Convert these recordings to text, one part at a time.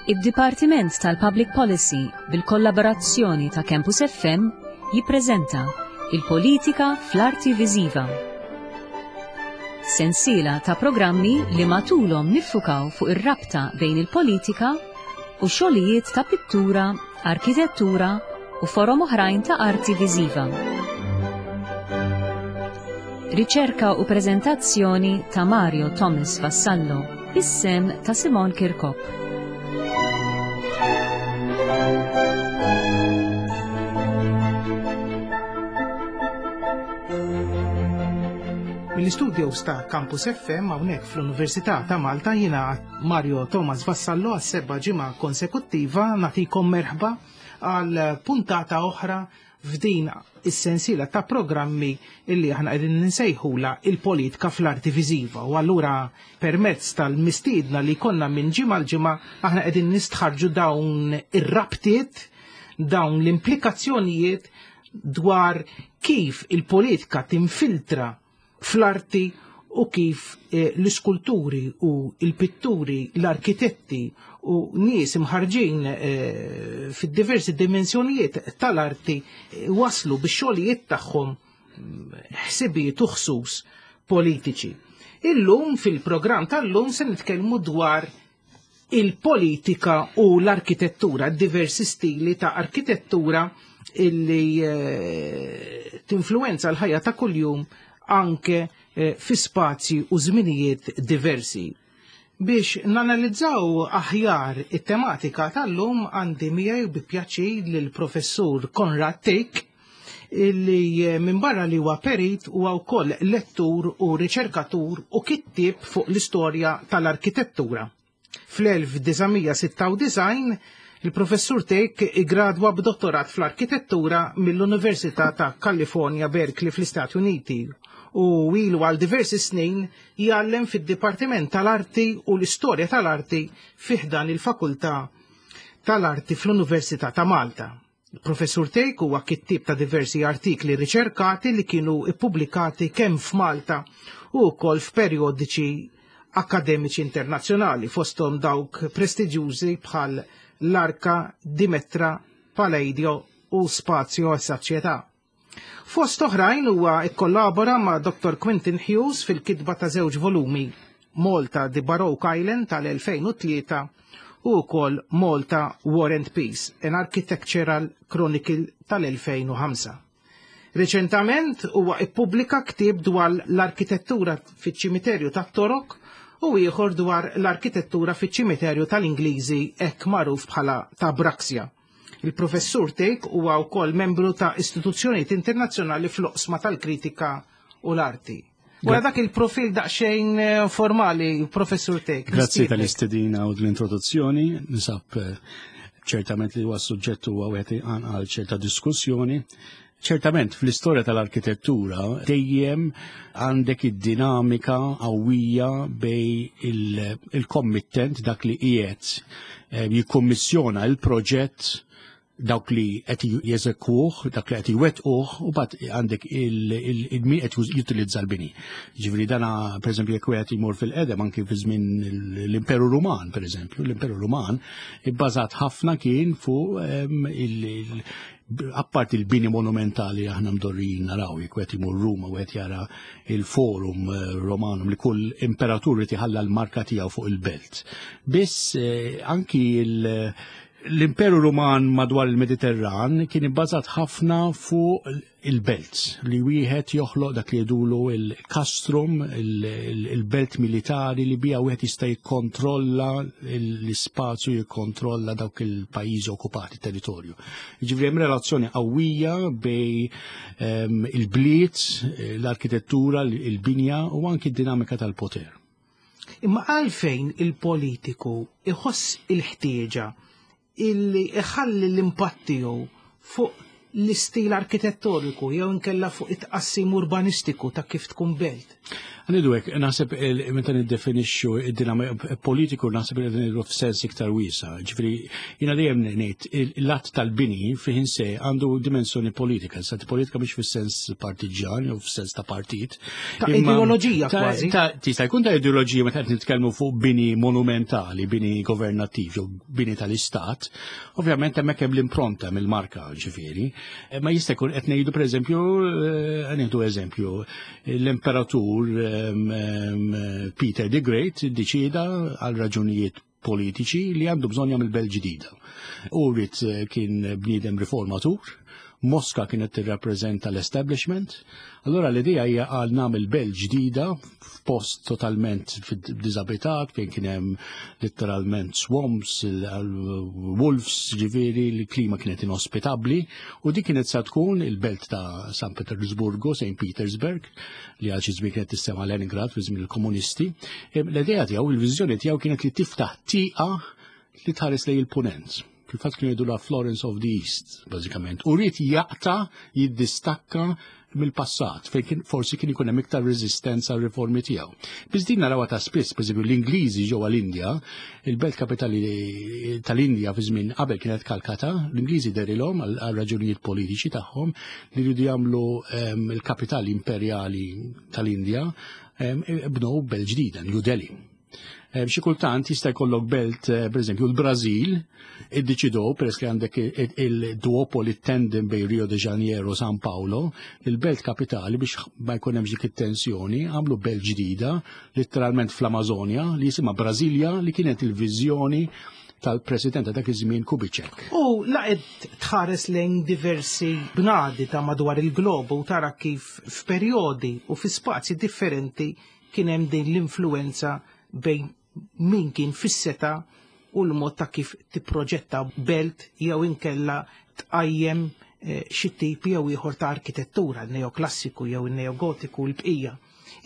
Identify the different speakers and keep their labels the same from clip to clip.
Speaker 1: Id-Dipartiment tal-Public Policy bil-kollaborazzjoni ta' Campus FM jippreżenta Il-Politika fl-Arti Viżiva. Sensiela ta' programmi li matulhom niffukaw fuq ir-rabta bejn il-politika u xogħlijiet ta' pittura, arkitettura u forom oħrajn ta' arti viżiva. Riċerka u preżentazzjoni ta' Mario Thomas Vassallo, bis-sem ta' Simon Kirkop.
Speaker 2: Mill-istudios ta' Campus FM hawnhekk fl-Università ta' Malta jiena Mario Thomas Vassallo għas-seba' ġimgħa konsekuttiva nagħtikom merħba għal puntata oħra f'din is-sensiela ta' programmi illi aħna qegħdin nsejħula il-politika fl-arti viżiva u allura permezz tal-mistiedna li konna minn ġimgħa l-ġimgħa aħna qegħdin nistħarġu dawn ir-rabtiet, dawn l-implikazzjonijiet dwar kif il-politika tinfiltra fl-arti u kif eh, l-iskulturi u l-pitturi, l-arkitetti u nies imħarġin eh, fid-diversi dimensjonijiet tal-arti eh, waslu bix-xogħlijiet tagħhom mm, ħsibijiet u ħsus politiċi. Illum fil-programm tal-lum se nitkellmu dwar il-politika u l-arkitettura, diversi stili ta' arkitettura illi eh, tinfluenza l-ħajja ta' kuljum anke eh, fi spazji u żminijiet diversi. Biex nanalizzaw aħjar it-tematika tal-lum għandi miegħi bi pjaċir lill-professur Konrad Tick illi eh, minn barra li huwa perit huwa wkoll lettur u riċerkatur u kittieb fuq l-istorja tal-arkitettura. Fl-1996 il-professur Tek igradwa b'dottorat fl-arkitettura mill-Università ta' California Berkeley fl-Istati Uniti u ilu għal diversi snin jgħallem fid-Dipartiment tal-Arti u l-Istorja tal-Arti fiħdan il-Fakultà tal-Arti fl-Università ta' Malta. Il-Professur Tejk huwa kittieb ta' diversi artikli riċerkati li kienu ippubblikati kemm f'Malta u wkoll f'perjodiċi akkademiċi internazzjonali fosthom dawk prestiġjużi bħal l-Arka, Dimetra, Paleidio u Spazio e Società. Fost oħrajn huwa kkollabora ma' Dr. Quentin Hughes fil-kitba ta' żewġ volumi, Malta The Baroque Island tal-2003 u wkoll Malta War and Peace, an Architectural Chronicle tal-2005. Reċentament huwa ippubblika ktieb dwar l-arkitettura fiċ-ċimiterju tat-Torok u ieħor dwar l-arkitettura fiċ-ċimiterju tal-Ingliżi hekk magħruf bħala ta' Braxia. Il-Professur Tejk huwa wkoll membru ta' istituzzjonijiet internazzjonali fl-oqsma tal-kritika u l-arti. Wara dak il-profil daqsxejn eh, formali, Professur Tejk.
Speaker 3: Grazzi tal-istedina u l-introduzzjoni, nisab eh, ċertament li huwa suġġett huwa wieħed għal ċerta diskussjoni. Ċertament fl-istorja tal-arkitettura dejjem għandek id-dinamika qawwija bej il-kommittent dak li qiegħed eh, jikkommissjona il-proġett dawk li qed jeżekuh, dak li qed jwettquh, u bad għandek il-min qed jutilizza l-bini. Ġifieri dana pereżempju jekk wieħed jmur fil-qedem anki fi żmien l-Imperu Ruman, pereżempju, l-Imperu Ruman ibbażat ħafna kien fuq ehm, apparti il-bini monumentali aħna mdorrijin naraw, jekk wieħed imur Ruma wieħed jara il-forum eh, Romanum li kull imperatur irid iħalla l-marka tiegħu fuq il-belt. Biss eh, anki l-Imperu Ruman madwar il-Mediterran kien ibbażat ħafna fuq il-belt li wieħed joħloq dak li jgħidulu il-kastrum, il-belt militari li bija wieħed jista' jikkontrolla l-ispazju, jikkontrolla dawk il-pajjiżi okkupati, territorju. Jiġifieri hemm relazzjoni qawwija bej ehm, il-bliet, l-arkitettura, il-binja u anki d-dinamika tal-poter.
Speaker 2: Imma għalfejn il-politiku iħoss il-ħtieġa illi iħalli l-impatt tiegħu fuq l-istil arkitettoniku jew inkella fuq it-tqassim urbanistiku ta' kif tkun belt.
Speaker 3: Għanidu hekk, naħseb meta niddefinixxu id-dinamika politiku naħseb li ngħidu f'sens iktar wiesa. Ġifieri jiena dejjem ngħid l-att tal-bini fih se għandu dimensjoni politika, sa politika mhix fis-sens partiġjan jew fis-sens ta' partit.
Speaker 2: Ta' ideoloġija kważi.
Speaker 3: Tista' jkun ta' ideoloġija meta qed nitkellmu fuq bini monumentali, bini governattiv jew bini tal-istat, Ovvjament hemmhekk hemm l-impronta mill-marka ġifieri, eh, ma jista' jkun qed ngħidu pereżempju eh, nieħdu eżempju, l-imperatur ehm, ehm, Peter the Great iddeċieda għal raġunijiet politiċi li għandu bżonn jagħmel belt ġdida. U rrid eh, kien bniedem riformatur, Moska kienet tirrappreżenta l-establishment, allura l-idea hija għal nagħmel belt ġdida f'post totalment diżabitat fejn kien hemm letteralment swamps, wolves, ġifieri l-klima kienet inospitabbli u dik kienet sa tkun il-belt ta' San Petersburgo, St. Petersburg, li għal xi żmien kienet tissema Leningrad fi żmien il-komunisti. L-idea tiegħu, il-viżjoni tiegħu kienet li tiftaħ tieqa li tħares lejn il-punent. Fil-fatt kienu jgħidu la Florence of the East, bażikament. U rrid jaqta' jiddistakka mill-passat fejn kien forsi kien ikun hemm iktar reżistenza għal riformi tiegħu. Biss din narawha ta' spiss, pereżempju l-Ingliżi ġewwa l-Indja, il-belt kapitali tal-Indja fi żmien qabel kienet Kalkata, l-Ingliżi derilhom għal raġunijiet politiċi tagħhom li jridu jagħmlu ehm, il-kapitali imperjali tal-Indja ehm, bnew belt ġdida, New Delhi. Eh, xi kultant jista' jkollok belt, eh, pereżempju l-Brażil, iddeċidew peress li għandek il-duopoli tandem bejn Rio de Janeiro u San Paolo, il-belt kapitali biex ma jkun hemm dik it-tensjoni, għamlu belt ġdida, letteralment fl-Amazonja, li jisimha Brasilia, li kienet il-viżjoni tal-president ta' dak iż-żmien Kubitschek.
Speaker 2: U laqed tħares lejn diversi bnadi ta' madwar il-globu tara kif f'perjodi u fi spazji differenti kien hemm din l-influenza bejn min kien fis-seta u l-mod ta' kif tipproġetta belt jew inkella tqajjem eh, xi tip jew ieħor ta' arkitettura, neoklassiku jew neogotiku l-bqija.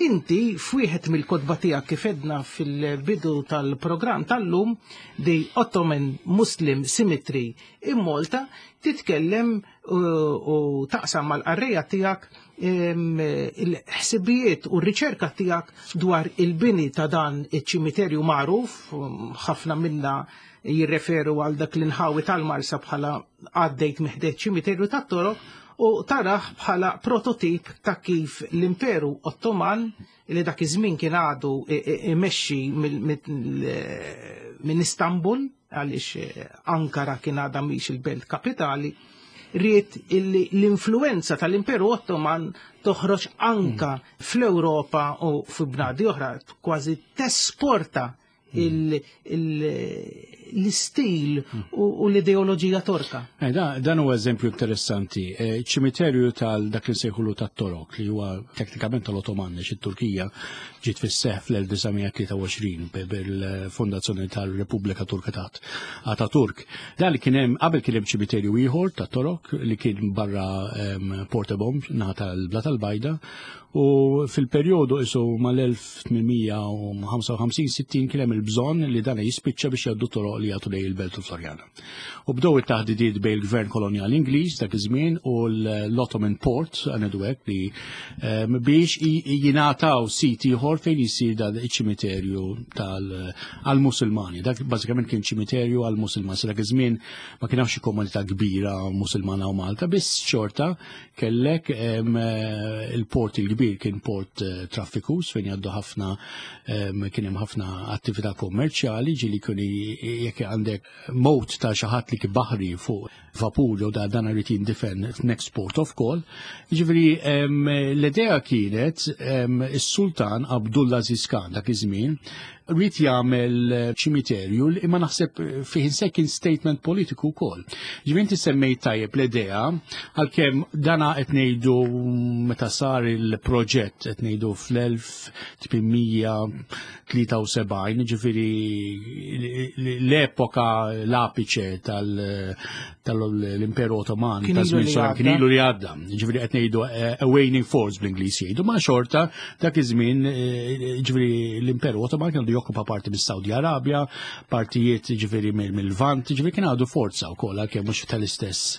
Speaker 2: Inti f'wieħed mill-kotba tiegħek kif edna fil-bidu tal-programm tal-lum The Ottoman Muslim Symmetry in Malta titkellem u taqsam mal-qarrejja tiegħek il-ħsibijiet u r-riċerka tiegħek dwar il-bini ta' dan iċ-ċimiterju magħruf, ħafna minna jirreferu għal dak l-inħawi tal-Marsa bħala għaddejt miħdejt ċimiterju tat-Torok u taraħ bħala prototip ta' kif l-Imperu Ottoman li dak iż-żmien kien għadu imexxi minn Istanbul għaliex eh, Ankara kien għadha mhix il-belt kapitali, ried illi l-influenza tal-Imperu Ottoman toħroġ anka mm. fl-Ewropa u fi bnadi oħra, kważi tesporta mm. l-istil mm. u l-ideoloġija torka.
Speaker 3: Eh, dan huwa eżempju interessanti. Eh, ċimiterju tal dak li nsejħulu tat-Torok li huwa teknikament tal-Ottoman għax it-Turkija ġiet fis-seħħ fl-1923 bil-fondazzjoni tal-Repubblika Turka ta' Ataturk. Dan li kien hemm qabel kien hemm ċimiterju ieħor tat-Torok li kien barra ehm, Portebom naħa tal-Bla tal-Bajda u fil-perjodu isu mal-1855-60 kien hemm il-bżonn li dan jispiċċa biex jgħaddu toroq li jagħtu lejn il-Belt u Florjana. U bdew it-taħdidiet bejn il-gvern kolonjali Ingliż dak iż-żmien u l-Ottoman Port għandu hekk li ehm, biex jingħataw sit ieħor fejn jisir dan iċ-ċimiterju tal-Musulmani. Dak bażikament kien ċimiterju għall-Musulmani. Sa dak iż-żmien ma kien hawn xi komunità kbira Musulmana u Malta, biss xorta kellek ehm, il-port il-kbir kien port eh, traffikus fejn jgħaddu ħafna ehm, kien hemm ħafna attività kommerċjali ġieli kien jekk għandek mowt ta' xi ħadd li kien baħri fuq vapur jew da dan irid jindifen f'next port of call. Jiġifieri l-idea kienet is-Sultan Abdullah Aziz Khan dak iż-żmien rrid jagħmel ċimiterju li imma naħseb fih inse kien statement politiku wkoll. Ġifieri inti semmejt tajjeb l-idea għalkemm dana qed ngħidu meta sar il-proġett qed ngħidu fl-1873, ġifieri l-epoka l-apiċe tal-Imperu Ottoman ta' żmien sar kien ilu li għadda. Ġifieri qed ngħidu eh, a waning force bl-Ingliż jgħidu, ma xorta dak iż-żmien eh, ġifieri l-Imperu Ottoman kien jokkupa parti mis-Saudi Arabja, partijiet ġifieri mill-Lvant, ġifieri kien għadu forza wkoll għalkemm mhux tal-istess.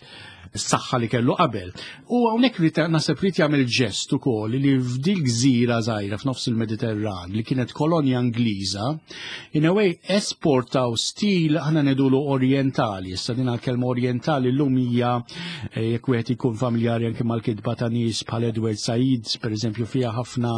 Speaker 3: s-saħħa li kellu qabel. U hawnhekk rid naħseb rid jagħmel ġest ukoll li f'dil gżira żgħira f'nofs il-Mediterran li kienet kolonja Ingliża, in a way esportaw stil aħna ngħidulu orjentali, issa din għall-kelma orjentali llum hija eh, jekk wieħed ikun familjari anke mal-kitba ta' nies bħal Edward Said, pereżempju fiha ħafna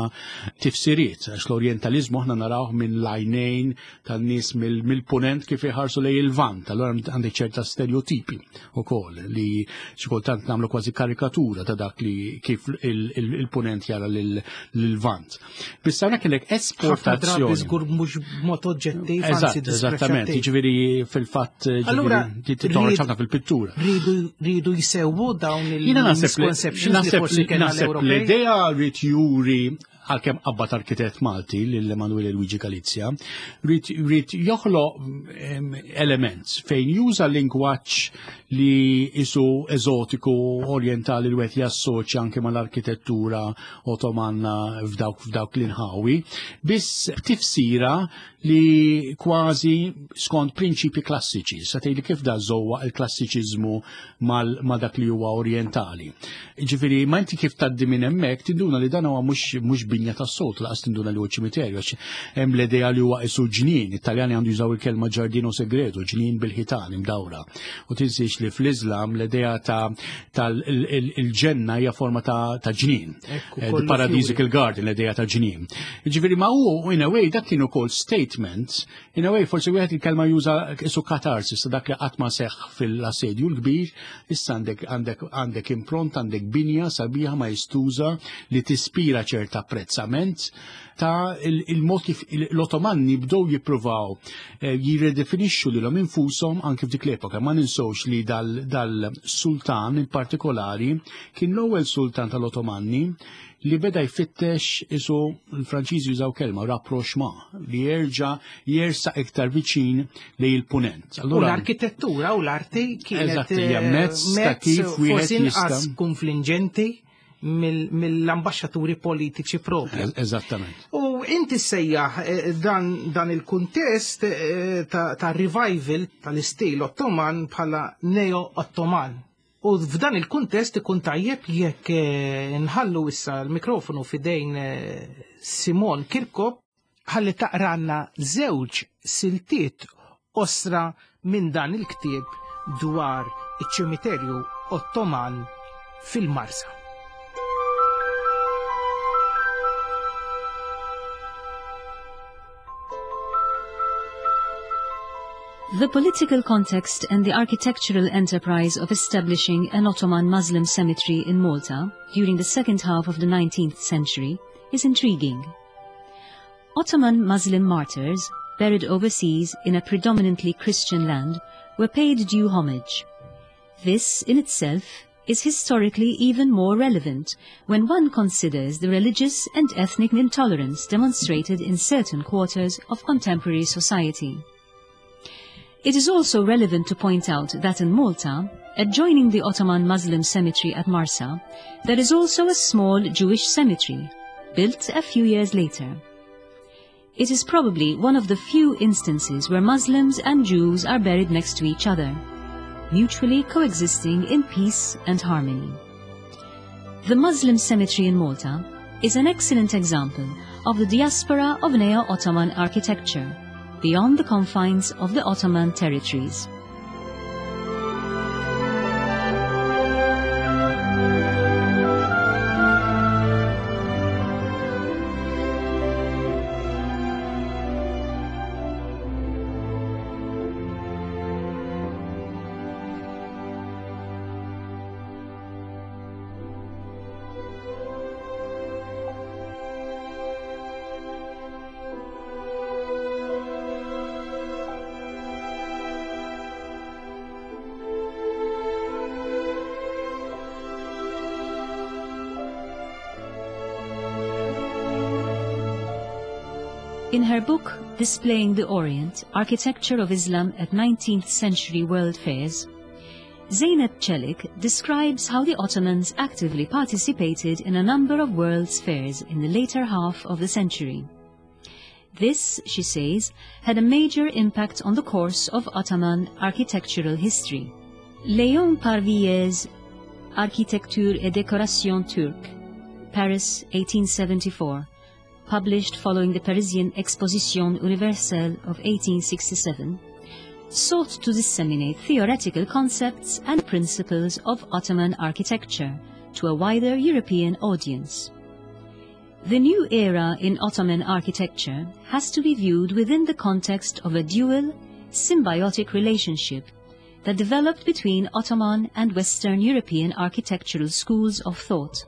Speaker 3: tifsiriet, għax l-orjentaliżmu aħna narawh minn lajnejn tan-nies mill-punent kif iħarsu lejn il-vant, allura għandek ċerta stereotipi ukoll li xi kultant nagħmlu kważi karikatura ta' dak li kif il-punent jara lill-vant. Biss hawnhekk kellek esportazzjoni.
Speaker 2: Żgur mhux b'mod oġġettiv,
Speaker 3: anzi Eżattament, jiġifieri fil-fatt
Speaker 2: Allura
Speaker 3: toħroġ ħafna fil-pittura.
Speaker 2: Ridu jsewwu dawn il-misconceptions li forsi kellna
Speaker 3: l-Ewropej. L-idea rrid juri għalkemm qabbad arkitett Malti lil Emanuele Luigi Galizia, rrid joħloq element fejn juża lingwaġġ li isu eżotiku orjentali li wieħed jassoċja anke mal-arkitettura Otomanna f'dawk f'dawk l-inħawi, biss b'tifsira li kważi skont prinċipi klassiċi, sa tgħidli kif da żewwa il-klassiċiżmu ma' dak li huwa orjentali. Ġifieri, ma inti kif tgħaddi minn hemmhekk tinduna li dan huwa mhux binja tas-soltu laqas tinduna li huwa ċimiterju għax hemm l-idea li huwa isu ġnien, it-Taljani għandu jużaw il-kelma ġardino segreto, ġnien bil-ħitan imdawra. U tinsiex li fl-Iżlam l-idea ta' tal-ġenna hija forma ta' ġnien. Eh, the Paradisical Garden, l-idea ta' ġnien. Ġifieri ma hu in a way dak kien ukoll statement, in a way forsi wieħed il-kelma juża isu katarsis ta' dak li qatt ma seħħ fil-assedju l-kbir, issa għandek għandek għandek impront, għandek binja sabiħa maestuża li tispira ċerta apprezzament ta' il-mod kif l-Otomanni bdew jippruvaw eh, jirredefinixxu lilhom infushom anke f'dik l-epoka. Ma ninsewx li dal-sultan in partikolari kien l-ewwel sultan tal-Otomanni li beda jfittex isu l-Franċiżi jużaw kelma rapprochement li jerġa' jersaq iktar viċin li il-punent.
Speaker 2: Allura l-arkitettura u l-arti kienet
Speaker 3: eh, mezz ta' kif wieħed
Speaker 2: jista' konfliġenti mill-ambaxxaturi politiċi propri.
Speaker 3: Eżattament.
Speaker 2: U inti sejjaħ eh, dan, dan il-kuntest eh, ta', ta revival tal-istil Ottoman bħala neo-Ottoman. U f'dan il-kuntest ikun tajjeb jekk eh, nħallu issa l-mikrofonu fidejn Simon Kirkop ħalli taqranna żewġ siltiet qosra minn dan il-ktieb dwar iċ-ċimiterju Ottoman fil-Marsa.
Speaker 1: The political context and the architectural enterprise of establishing an Ottoman Muslim cemetery in Malta during the second half of the 19th century is intriguing. Ottoman Muslim martyrs, buried overseas in a predominantly Christian land, were paid due homage. This, in itself, is historically even more relevant when one considers the religious and ethnic intolerance demonstrated in certain quarters of contemporary society. It is also relevant to point out that in Malta, adjoining the Ottoman Muslim cemetery at Marsa, there is also a small Jewish cemetery, built a few years later. It is probably one of the few instances where Muslims and Jews are buried next to each other, mutually coexisting in peace and harmony. The Muslim cemetery in Malta is an excellent example of the diaspora of Neo-Ottoman architecture beyond the confines of the Ottoman territories. In her book, Displaying the Orient, Architecture of Islam at 19th Century World Fairs, Zeynep Celik describes how the Ottomans actively participated in a number of world's fairs in the later half of the century. This, she says, had a major impact on the course of Ottoman architectural history. Léon Parvier's Architecture et Décoration Turque, Paris, 1874, published following the Parisian Exposition Universelle of 1867, sought to disseminate theoretical concepts and principles of Ottoman architecture to a wider European audience. The new era in Ottoman architecture has to be viewed within the context of a dual, symbiotic relationship that developed between Ottoman and Western European architectural schools of thought.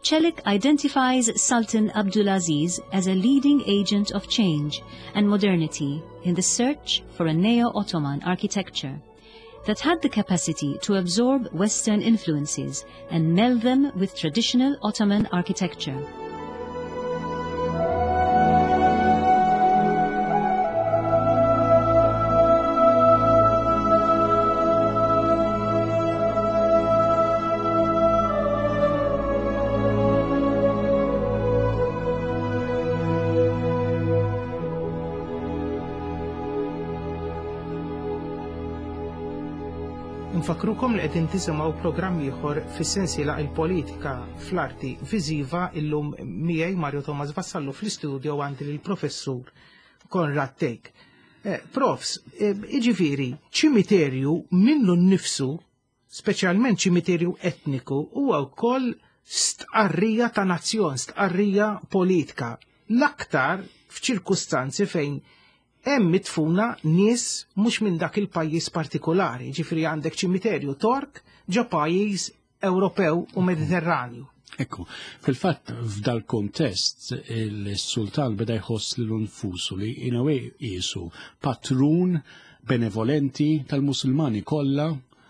Speaker 1: Çelik identifies Sultan Abdulaziz as a leading agent of change and modernity in the search for a neo-Ottoman architecture that had the capacity to absorb Western influences and meld them with traditional Ottoman architecture.
Speaker 2: Nfakrukom li qegħdin tisimgħu programm ieħor fis-sensiela il-politika fl-arti viżiva illum miegħi Mario Thomas Vassallo fl-istudio għandi lill-professur Konrad Thake. Eh, profs, eh, iġifieri, ċimiterju minnu nnifsu, speċjalment ċimiterju etniku, huwa wkoll stqarrija ta' nazzjon, stqarrija politika. L-aktar f'ċirkustanzi fejn hemm midfuna nies mhux minn dak il-pajjiż partikolari, ġifieri għandek ċimiterju Tork ġo pajjiż Ewropew u Mediterranju.
Speaker 3: Ekku, fil-fatt f'dal kontest il-sultan beda jħoss lilu nfusu li in a way qisu patrun benevolenti tal-Musulmani kollha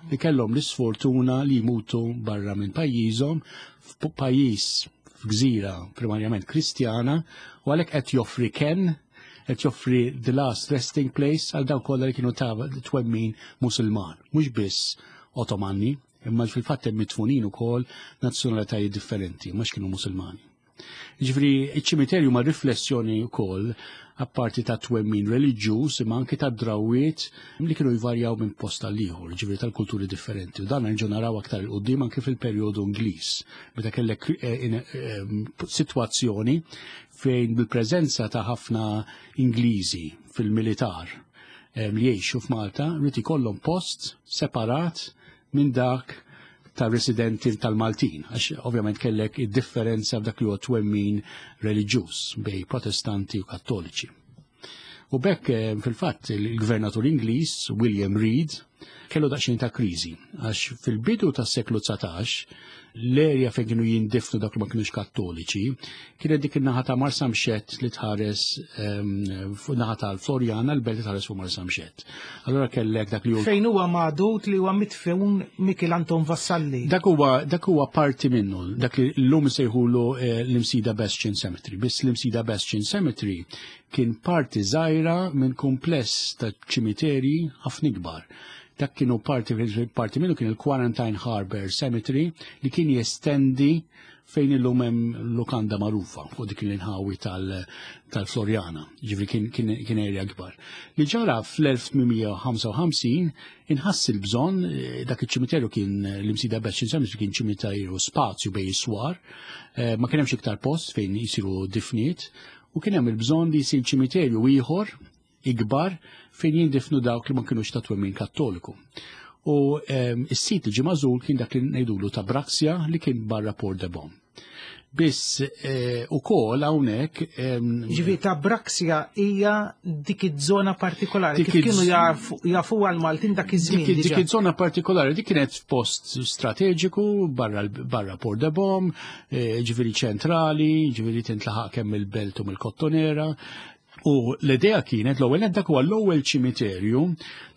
Speaker 3: li kellhom l-isfortuna li jmutu barra minn pajjiżhom f'pajjiż f'gżira primarjament Kristjana u għalhekk qed joffri kenn qed joffri the last resting place għal dawk kollha li kienu ta' twemmin Musulman, mhux biss Ottomani, imma fil-fatt hemm mitfunin ukoll nazzjonalitajiet differenti, mhux kienu Musulmani. Ġifieri iċ-ċimiterju ma' riflessjoni wkoll apparti ta' twemmin reliġjuż imma anke ta' drawiet li kienu jvarjaw minn post għal ieħor, ġifieri tal-kulturi differenti. U dan nerġgħu naraw aktar 'il quddiem anke fil-perjodu Ingliż, meta kellek eh, eh, sitwazzjoni fejn bil-preżenza ta' ħafna Ingliżi fil-militar li jgħixu f'Malta rrid ikollhom post separat minn dak ta' residenti tal-Maltin, għax ovvjament kellek id-differenza f'dak li huwa twemmin reliġjuż bej protestanti u kattoliċi. U bekk fil-fatt il-gvernatur Ingliż William Reid kellu daqsxejn ta' kriżi għax fil-bidu tas-seklu 19 l-erja fejn kienu jindifnu dak li ma kienux kattoliċi kienet dik in-naħa ta' Marsamxett li tħares ehm, fuq naħa tal-Florjana l-belt li tħares fuq Marsamxett. Allora kellek dak li
Speaker 2: Fejn huwa magħdud li huwa mitfun Mikil Anton Vassalli.
Speaker 3: Dak huwa dak huwa parti minnu, dak li llum sejħulu eh, l-Imsida Bastion Cemetery. Biss l-Imsida Bastion Cemetery kien parti żgħira minn kumpless ta' ċimiterji ħafna ikbar. Dak kienu parti, parti minnu kien il-Quarantine Harbour Cemetery li kien jestendi fejn illum hemm lukanda magħrufa fuq dik l-inħawi tal-Florjana, ġifri kien, kien, kien area kbar. Li ġara fl-1855 inħass il-bżonn eh, dak iċ-ċimiterju kien l-Imsida Bastion Cemetery kien ċimiterju spazju bej is-swar, eh, ma kien hemmx iktar post fejn jisiru difniet, u kien hemm il-bżonn li jsir ċimiterju ieħor ikbar fejn jindifnu dawk li ma kinux ta' twemmin kattoliku. U ehm, is-sit li ġie magħżul kien dak li ngħidulu ta' Braxia li kien barra Port de Bon. Biss eh, ukoll hawnhekk ehm,
Speaker 2: Ġifieri ta' Braxia hija dik iż-żona partikolari. Kif kienu jafu għal Maltin dak iż-żmien.
Speaker 3: Dik iż-żona partikolari dik kienet f'post strateġiku barra barra Port de Bom, eh, ġifieri ċentrali, ġifieri tintlaħaq kemm il-belt u mill-Kottonera. U l-idea kienet l-ewwel dak huwa l-ewwel ċimiterju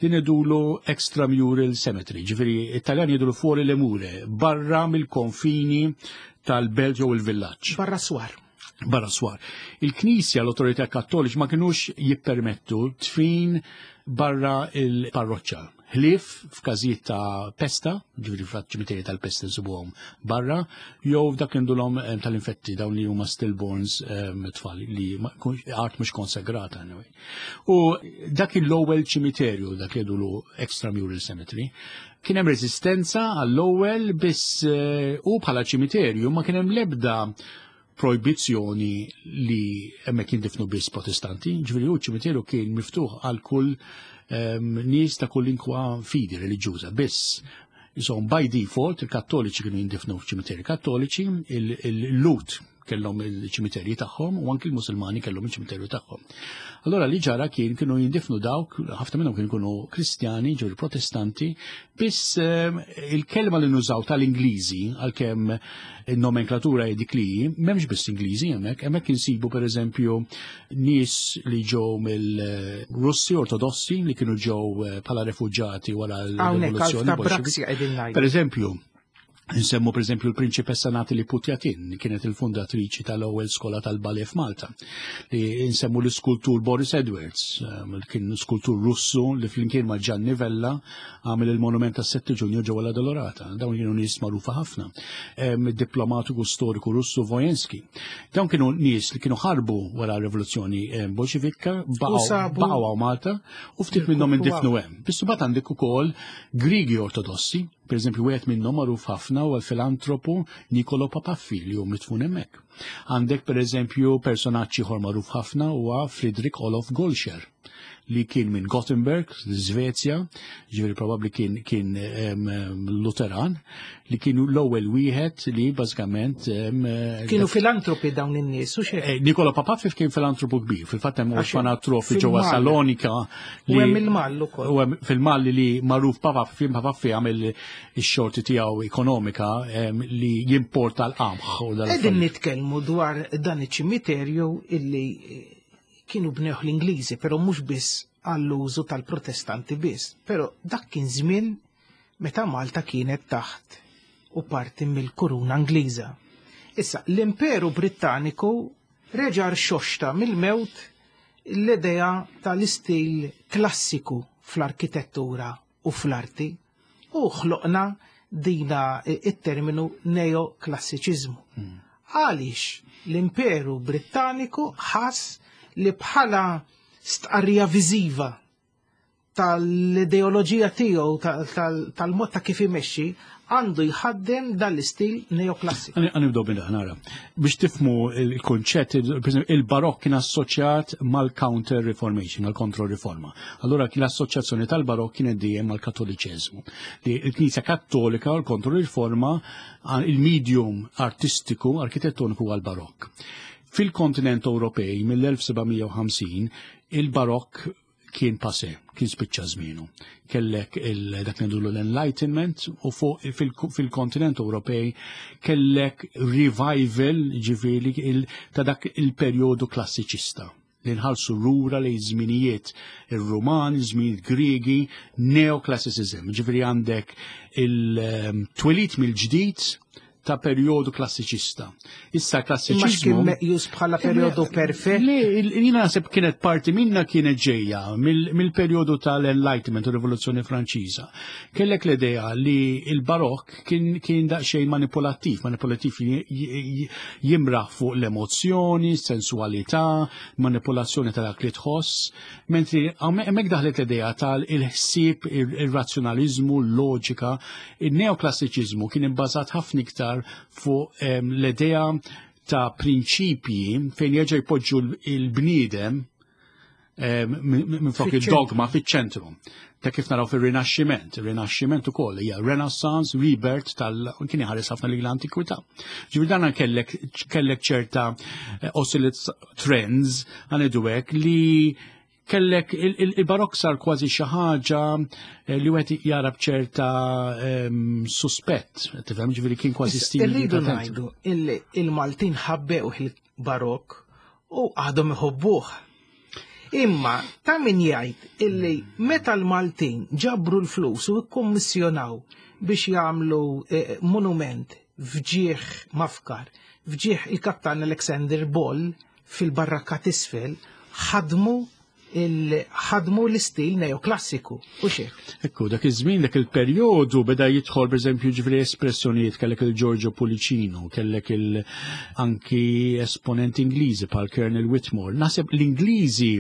Speaker 3: li ngħidulu extramural cemetery, ġifieri it-Taljan jgħidulu fuori le mure, barra mill-konfini tal-belt jew il-villaġġ.
Speaker 2: Barra swar.
Speaker 3: Barra swar. Il-Knisja, l-autorità kattoliċi ma kinux jippermettu tfin barra il-parroċċa. Ħlief f'każijiet ta' pesta, ġifieri f'ċimiterji tal-pesta nsibuhom barra, jew f'dak li ndulhom eh, tal-infetti dawn li huma stillborns eh, tfal li art mhux konsegrata anyway. U dak l-ewwel ċimiterju dak li jgħidulu extramural cemetery, kien hemm reżistenza għall-ewwel biss eh, u bħala ċimiterju ma kien hemm l-ebda projbizzjoni li hemmhekk jindifnu biss protestanti, ġifieri hu ċimiterju kien miftuħ għal kull nies ta' kull inkwa fidi reliġjuża biss. Insomma, by default, il-kattoliċi kienu jindifnu f'ċimiteri kattoliċi, il-Lut kellhom il-ċimiterji tagħhom u anki l-Musulmani kellhom il-ċimiterju tagħhom. Allora li ġara kien kienu jindifnu dawk, ħafna minnhom kienu jkunu Kristjani, ġew Protestanti, biss il-kelma li nużaw tal-Ingliżi għalkemm il-nomenklatura hi dik li hi, m'hemmx biss Ingliżi hemmhekk, hemmhekk insibu pereżempju nies li ġew mill-Russi Ortodossi li kienu ġew eh, bħala refuġġati wara
Speaker 2: l-rivoluzzjoni.
Speaker 3: Per eżempju, Nsemmu per eżempju l-prinċipessa Natalie Putjatin, li kienet il-fundatriċi tal-ewwel skola tal-ballet f'Malta. Li nsemmu l-iskultur Boris Edwards, ehm, li kien skultur Russu li flimkien ma' Gianni Vella għamel il-monument tas-7 Ġunju ġewwa la Dolorata. Dawn kienu nies magħrufa ħafna. Ehm, diplomatiku storiku Russu Vojenski. Dawn kienu nies li kienu ħarbu wara r-rivoluzzjoni ehm, Bolxevikka, baqgħu Malta u ftit minnhom indifnu hemm. Biss imbagħad għandek ukoll Grigi Ortodossi Per eżempju, wieħed minnhom magħruf ħafna huwa l-filantropu Nicolo Papaffi li hu mitfun hemmhekk. Għandek per eżempju personaġġ ieħor magħruf ħafna huwa Friedrich Olof Golscher li kien minn Gothenburg, Svezja, ġifieri probabbli kien kien Luteran, li kienu l-ewwel wieħed li bażikament
Speaker 2: kienu filantropi dawn in-nies u xejn.
Speaker 3: Eh, Nikola Papafif kien filantropu kbir, fil-fatt hemm orfanatrofi ġewwa Salonika.
Speaker 2: U hemm il-Mall ukoll.
Speaker 3: U hemm fil-Mall li magħruf Papafif Papafif għamel ix-xorti tiegħu ekonomika li jimporta l-qamħ.
Speaker 2: Qegħdin nitkellmu dwar dan iċ-ċimiterju illi eh, kienu bnewh l-Ingliżi, però mhux biss għall-użu tal-Protestanti biss, però dak kien żmien meta Malta kienet taħt u parti mill-Kuruna Ingliża. Issa, l-Imperu Brittaniku reġa' rxoxta mill-mewt l-idea tal-istil klassiku fl-arkitettura u fl-arti u ħloqna dina it-terminu neoklassiċiżmu. Hmm. Għaliex l-Imperu Brittaniku ħass li bħala stqarrija viżiva tal-ideoloġija tiegħu tal-mod ta' kif imexxi għandu jħaddem dan l-istil neoklassiku.
Speaker 3: Għanibdow minn nara. Biex tifmu il-konċett, il-barokk kien assoċjat mal-counter reformation, mal-kontro riforma. Allura kien l-assoċjazzjoni tal-barokk kienet dejjem mal-kattoliċeżmu. Li l-Knisja Kattolika u l-kontro riforma il-medium artistiku, arkitettoniku għal-barokk. Fil-kontinent Ewropej mill-1750 il-barokk kien pase, kien spiċċa żmienu. Kellek dak li l-Enlightenment u fuq fil-kontinent Ewropej kellek revival ġifieri ta' dak il-perjodu klassiċista li nħarsu lura li żminijiet ir-Rumani, żminijiet Griegi, neoclassicism. Ġifieri għandek il-twelid mill-ġdid ta' perjodu klassiċista. Issa klassiċiżmu.
Speaker 2: Imma kien meqjus bħala perjodu perfett?
Speaker 3: Le, jiena naħseb kienet parti minna kienet ġejja mill-perjodu tal-Enlightenment u Rivoluzzjoni Franċiża. Kellek l-idea li il-barokk kien, kien daqsxejn manipulattiv, manipulattiv jimraħ fuq l-emozzjoni, sensualità, manipulazzjoni ta' dak li tħoss, mentri hemmhekk daħlet l-idea tal-ħsieb, ir-razzjonaliżmu, l-loġika, Il-neoklassiċiżmu kien ibbażat ħafna iktar fuq ehm, l-idea ta' prinċipji fejn jerġa' jpoġġu l-bniedem ehm, minn flok il-dogma fiċ-ċentru. Ta' kif naraw fir-Rinaxximent, ir-Rinaxximent ukoll hija Renaissance, rebirth tal kien iħares ħafna lil l-antikwità. Ġifieri dan kellek kellek ċerta eh, oscillate trends għanidu hekk li kellek il-barok sar kważi xi ħaġa eh, li wieħed jara b'ċerta ehm, suspett, tifhem ġifieri kien kważi stil.
Speaker 2: Irridu ngħidu il-Maltin ħabbew il-barok u għadhom iħobbuh. Imma ta' min jgħid illi meta l-Maltin ġabru l-flus u kkummissjonaw biex jagħmlu eh, monument fġieħ mafkar, fġieħ il-kaptan Alexander Ball fil-barrakka t'isfel ħadmu ħadmu l-istil neoklassiku, u xek.
Speaker 3: Ekku, dak iż-żmien, dak il-perjodu beda jidħol pereżempju ġifieri espressjonijiet kellek il-Giorgio Pulicino, kellek il anki esponenti Ingliżi bħal Colonel Whitmore. Naħseb l-Ingliżi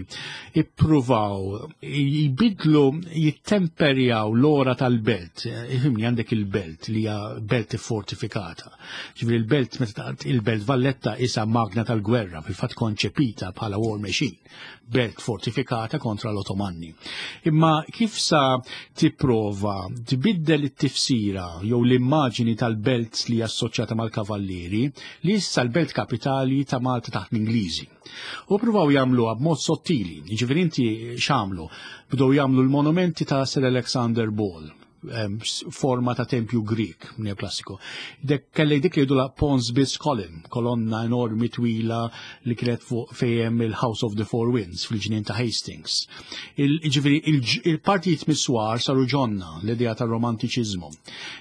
Speaker 3: ippruvaw jbidlu jittemperjaw l-ora tal-belt. Ifhimni għandek il-belt li hija belt fortifikata. Ġifieri il-belt meta il-belt Valletta isa magna tal-gwerra fil-fatt konċepita bħala war machine belt fortifikata kontra l-Otomanni. Imma kif sa tipprova tbiddel it-tifsira jew l-immaġini tal-belt li assoċjata mal-kavallieri li issa l-belt kapitali ta' Malta taħt l-Ingliżi. U provaw jagħmluha b'mod sottili, jiġifieri inti x'għamlu? Bdew jagħmlu l-monumenti ta' Sir Alexander Ball forma ta' tempju Grik neoklassiku. Dek kellek dik li jgħidula Pons Bis Column, kolonna enormi twila li kienet fuq fejem il-House of the Four Winds fil-ġnien ta' Hastings. Ġifieri il-partijiet miswar saru ġonna l-idea tar-romantiċiżmu.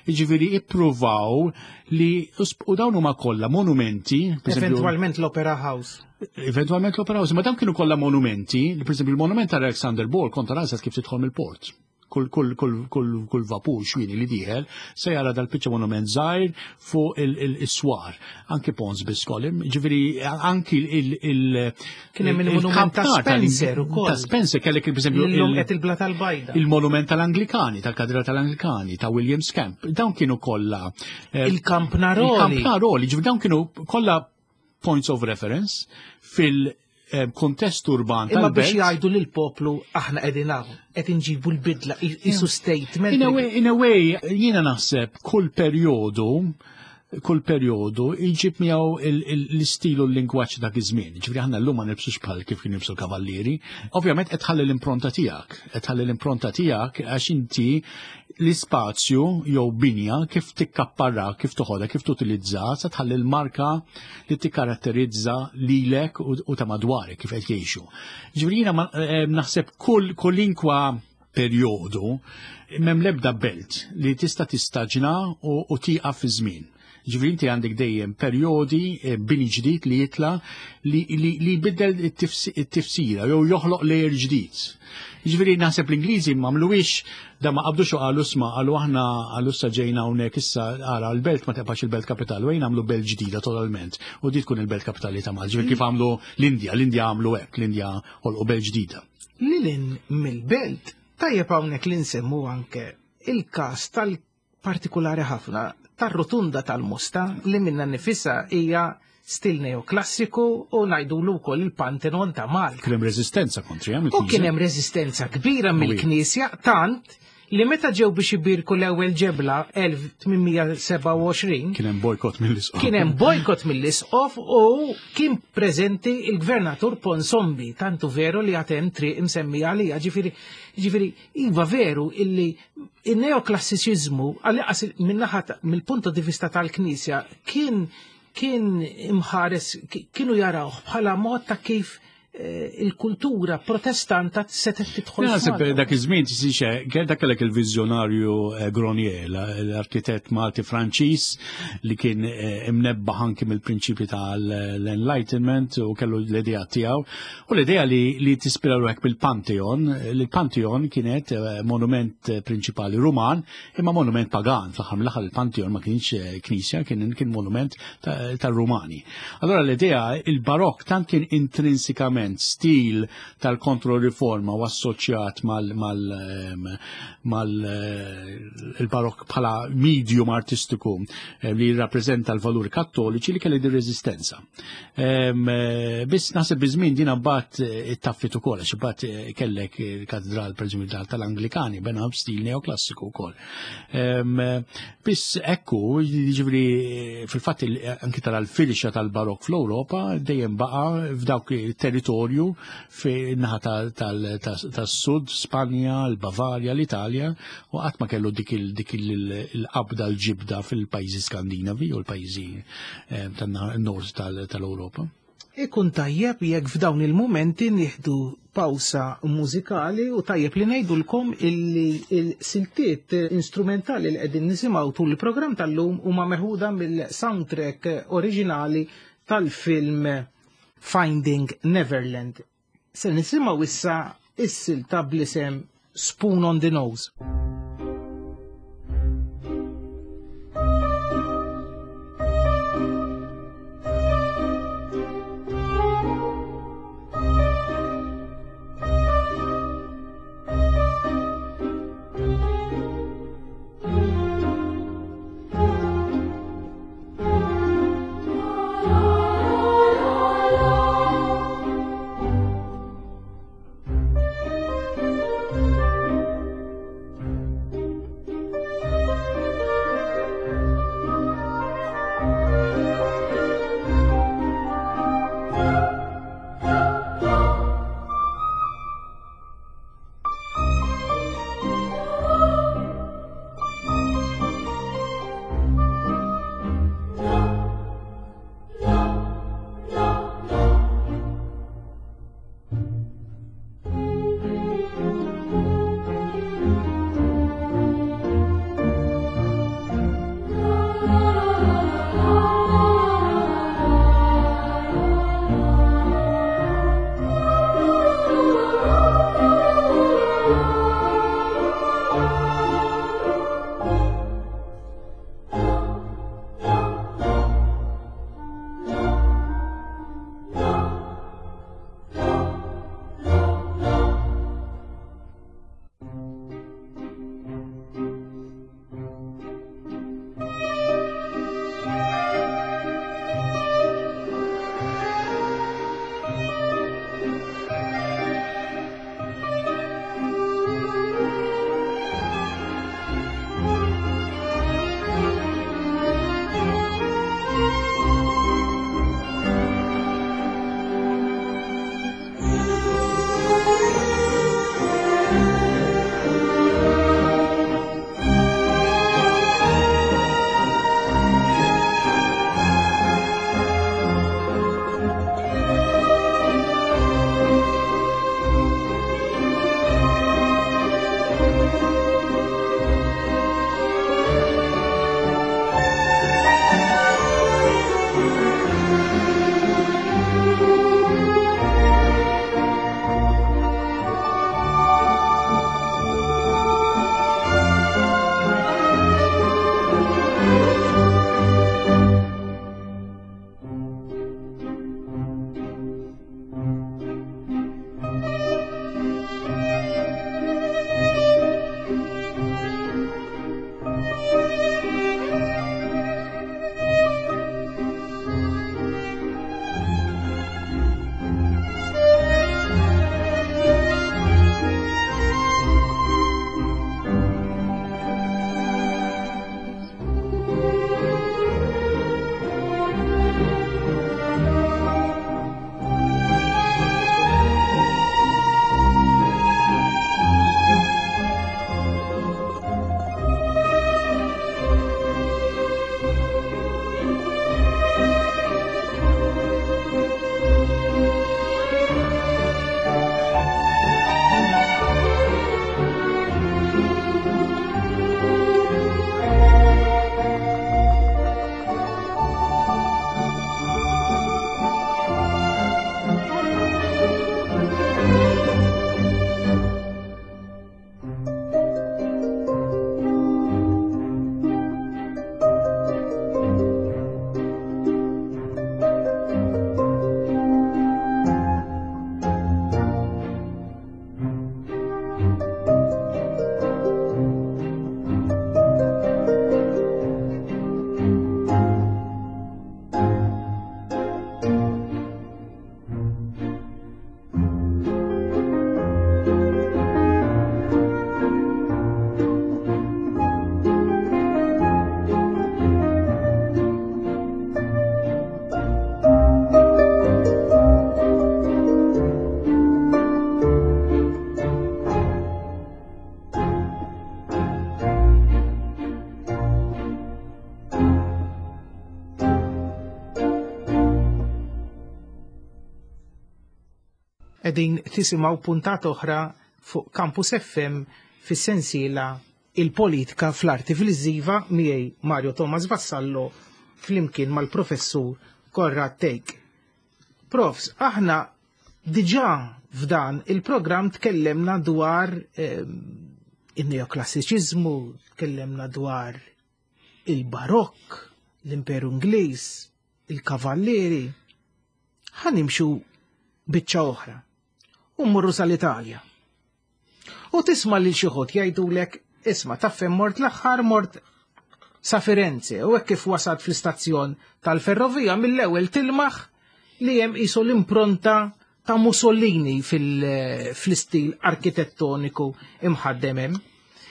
Speaker 3: Ġifieri ippruvaw li u dawn huma kollha monumenti.
Speaker 2: Eventualment l-Opera House.
Speaker 3: Eventualment l-Opera House, ma dawn kienu kollha monumenti, per esempio il-monument ta' Alexander Ball kontra rasat kif tidħol mill-port kull kull kull kull kull vapur xwini li dieħel se jara dal-biċċa monument żgħir fuq il-swar. Anki Pons Biskolim, ġifieri anki il-
Speaker 2: Kien hemm il-monument ta' Spencer ukoll.
Speaker 3: Ta' Spencer kellek pereżempju
Speaker 2: illum qed il-bla tal-bajda.
Speaker 3: Il-monument tal-Anglikani, tal-Katedra tal-Anglikani, ta' William Scamp, dawn kienu kollha.
Speaker 2: Eh, Il-Kampnaroli.
Speaker 3: Il-Kampnaroli, ġifieri dawn kienu kollha points of reference fil- eh, kontest urban
Speaker 2: Imma biex jgħidu lil poplu aħna qegħdin hawn, qed inġibu l-bidla isu statement.
Speaker 3: In a way, in a way, jiena naħseb kull perjodu kull perjodu jġib miegħu l-istil u l-lingwaġġ dak iż-żmien. Ġifieri aħna llum ma nilbsux bħal kif kien jilbsu l-kavallieri. Ovvjament qed tħalli l-impronta tiegħek, qed tħalli l-impronta tiegħek għax inti l-ispazju jew binja kif tikkapparra, kif toħodha, kif tutilizza, sa tħalli l-marka li tikkaratterizza lilek u ta' madwarek kif qed jgħixu. Ġifieri jiena eh, naħseb kull kulinkwa perjodu m'hemm l-ebda belt li tista' tistaġna u tieqaf fi żmien. Ġifieri inti għandek dejjem perjodi eh, bini ġdid li jitla li jbiddel it-tifsira jew joħloq layer ġdid. Ġifieri naħseb l-Ingliżi m'għamluhiex da ma qabdux u qalu sma qalu aħna qalu issa ġejna hawnhekk issa ara l-belt ma tibqax il-belt kapitali u għamlu belt ġdida totalment u di tkun il-belt kapitali ta' Malta. Ġifieri kif għamlu l-Indja, l-Indja għamlu hekk, l-Indja ħolqu belt ġdida.
Speaker 2: Lilin mill-belt tajjeb hawnhekk li nsemmu anke il-każ tal partikulari ħafna tar-rotunda tal-Mosta li minna nifisha hija stil neoklassiku u ngħidulu wkoll il-Pantheon ta' Malta.
Speaker 3: Kien hemm reżistenza kontri
Speaker 2: U kien hemm reżistenza kbira mill-Knisja tant li meta ġew biex ibirku l-ewwel ġebla 1827
Speaker 3: kien hemm bojkott mill-isqof.
Speaker 2: Kien hemm bojkott mill-isqof u kien preżenti il-gvernatur Ponsombi, tantu veru li għad hemm triq imsemmija għalija, ġifieri ġifieri iva veru illi Il-neoklassiċiżmu, għal-inqas min-naħa mill-punto di vista tal-Knisja, kien kien imħares, kienu jarawh bħala mod ta' kif eh, il-kultura protestanta setgħet tidħol.
Speaker 3: Naħseb dak iż-żmien tisix dak kellek il-viżjonarju eh, Gronier, l-arkitett Malti Franċiż li kien eh, imnebbaħ anki mill-prinċipji tal-Enlightenment u kellu l-idea tiegħu. U l-idea li, li tispira ruħek bil-Pantheon, li l-Pantheon kienet eh, monument eh, prinċipali Ruman, imma monument pagan, fl-aħħar mill-aħħar il-Pantheon ma kienx eh, knisja, kien, kien monument tal-Rumani. Allora l-idea, il-barok tant kien intrinsikament stil tal-kontro-riforma u assoċjat mal, mal, ehm, mal il-barok bħala medium artistiku li jirrappreżenta l-valuri kattoliċi li kelli di rezistenza. Eh, biss naħseb biż-żmien din mbagħad eh, ittaffit ukoll għax imbagħad eh, kellek il-katedral pereżempju tal-Anglikani bena b'stil neoklassiku wkoll. Biss ekku, jiġifieri fil-fatt anki tara l-firxa tal-barok fl-Ewropa dejjem baqa' f'dawk il-territorju fin-naħa tas-sud, Spanja, l-Bavarja, l-Italja, u qatt ma kellu dik il-qabda l-ġibda fil-pajjiżi Skandinavi u l-pajjiżi Eh, tan-nord tal-Ewropa.
Speaker 2: Ikun tajjeb jekk f'dawn il-mumenti nieħdu pawsa mużikali u tajjeb li ngħidulkom illi il-siltiet instrumentali li qegħdin nisimgħu tul il-programm tal-lum huma meħuda mill-soundtrack oriġinali tal-film Finding Neverland. Se nisimgħu issa is-silta bl-isem Spoon on the Nose. Qegħdin tisimgħu puntata oħra fuq Campus FM fis-sensiela Il-Politika fl-Arti Viżiva miegħi Mario Thomas Vassallo flimkien mal-Professur Konrad Thake. Profs, aħna diġà f'dan il-programm tkellemna dwar in-neoklassiċiżmu, tkellemna dwar il-Barokk, l-Imperu Ingliż, il-Kavallieri. Ħa nimxu biċċa oħra u mmorru sal-Italja. U tisma' lil xi ħodd jgħidulek isma' taf fejn mort l-aħħar mort sa Firenze u hekk kif wasalt fl-istazzjon tal-ferrovija mill-ewwel tilmaħ li hemm qisu l-impronta ta' Mussolini fl-istil arkitettoniku imħaddem hemm.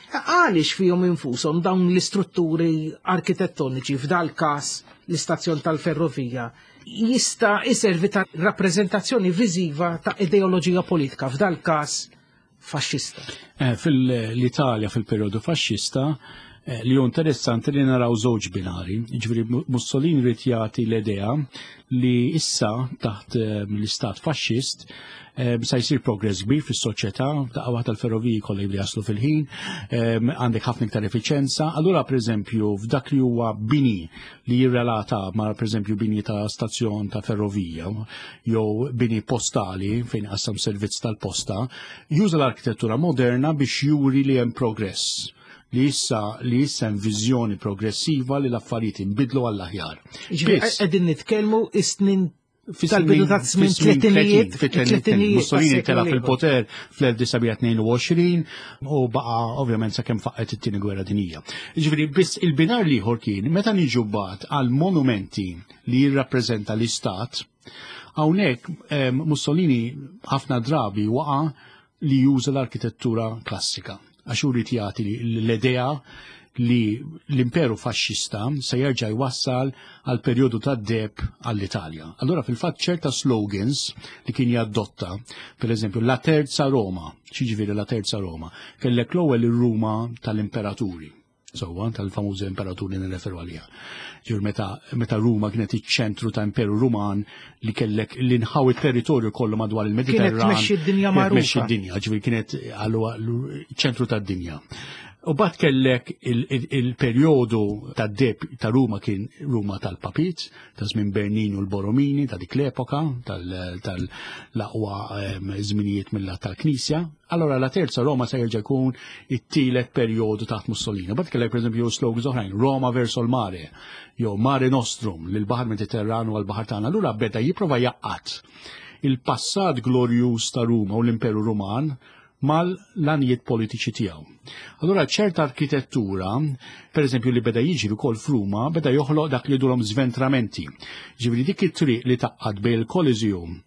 Speaker 2: Għaliex fihom infushom dawn l-istrutturi arkitettoniċi f'dal każ l-istazzjon tal-ferrovija jista' iservi ta' rappreżentazzjoni viżiva ta' ideoloġija politika f'dal każ faxxista.
Speaker 3: Eh, Fil-Italja fil-perjodu faxxista eh, li hu interessanti li naraw żewġ binari. Ġifieri Mussolini rid jagħti l-idea li issa taħt eh, l-istat faxxist sa jsir progress kbir fis-soċjetà, daqqa waħda l-ferroviji kollha jibli jaslu fil-ħin, għandek ħafna iktar effiċenza. Allura pereżempju f'dak li huwa bini li jirrelata ma' pereżempju bini ta' stazzjon ta' ferrovija jew bini postali fejn qassam servizz tal-posta, juża l-arkitettura moderna biex juri li hemm progress li issa li issa hemm viżjoni progressiva li l-affarijiet inbidlu għall-aħjar.
Speaker 2: Qegħdin nitkellmu is-snin Tal-bidu ta' żmien tlettinijiet.
Speaker 3: Fit-tlettinijiet. Mussolini tela fil-poter fl-1922 u baqa ovvjament sakemm faqqet it-tieni gwerra dinjija. Ġifieri biss il-binar liħor kien meta niġu bat għal monumenti li jirrappreżenta l-istat, hawnhekk Mussolini ħafna drabi waqa' li juża l-arkitettura klassika għax hu jrid jagħti l-idea li l-imperu faxxista se jerġa' jwassal għal perjodu ta' deb għall-Italja. Allura fil-fatt ċerta slogans li kien jaddotta, per eżempju, la terza Roma, xiġifieri la terza Roma, kellek l-ewwel ir-Ruma tal-imperaturi. Sewwa, tal-famużi imperaturi nirreferu għaliha. Ġifieri meta, meta Ruma kienet iċ-ċentru ta' Imperu Ruman li kellek l-inħaw it-territorju kollu madwar il-Mediterran.
Speaker 2: Kienet tmexxi d-dinja magħrufa.
Speaker 3: Tmexxi d-dinja, ġifieri kienet ċentru tad-dinja. U bat kellek il-perjodu ta' deb ta' Ruma kien Ruma tal-Papit, ta' żmien Bernin u l-Boromini ta' dik l-epoka tal-aqwa ehm, żminijiet mill-lat tal-Knisja. Allora la terza Roma se jerġa' jkun it-tielet perjodu taħt Mussolini. Bad kellek pereżempju slogans oħrajn, Roma verso l-mare, jew Mare Nostrum, lil baħar Mediterranu għal baħar tagħna. Allura beda jipprova jaqqat il-passat glorjuż ta' Ruma u l-Imperu Ruman mal-lanijiet politiċi tiegħu. Allura ċerta arkitettura, per eżempju li beda jiġri wkoll f'Ruma, beda joħloq dak li dulhom zventramenti. Ġifieri dik it-triq li taqqad bejn il-Coliseum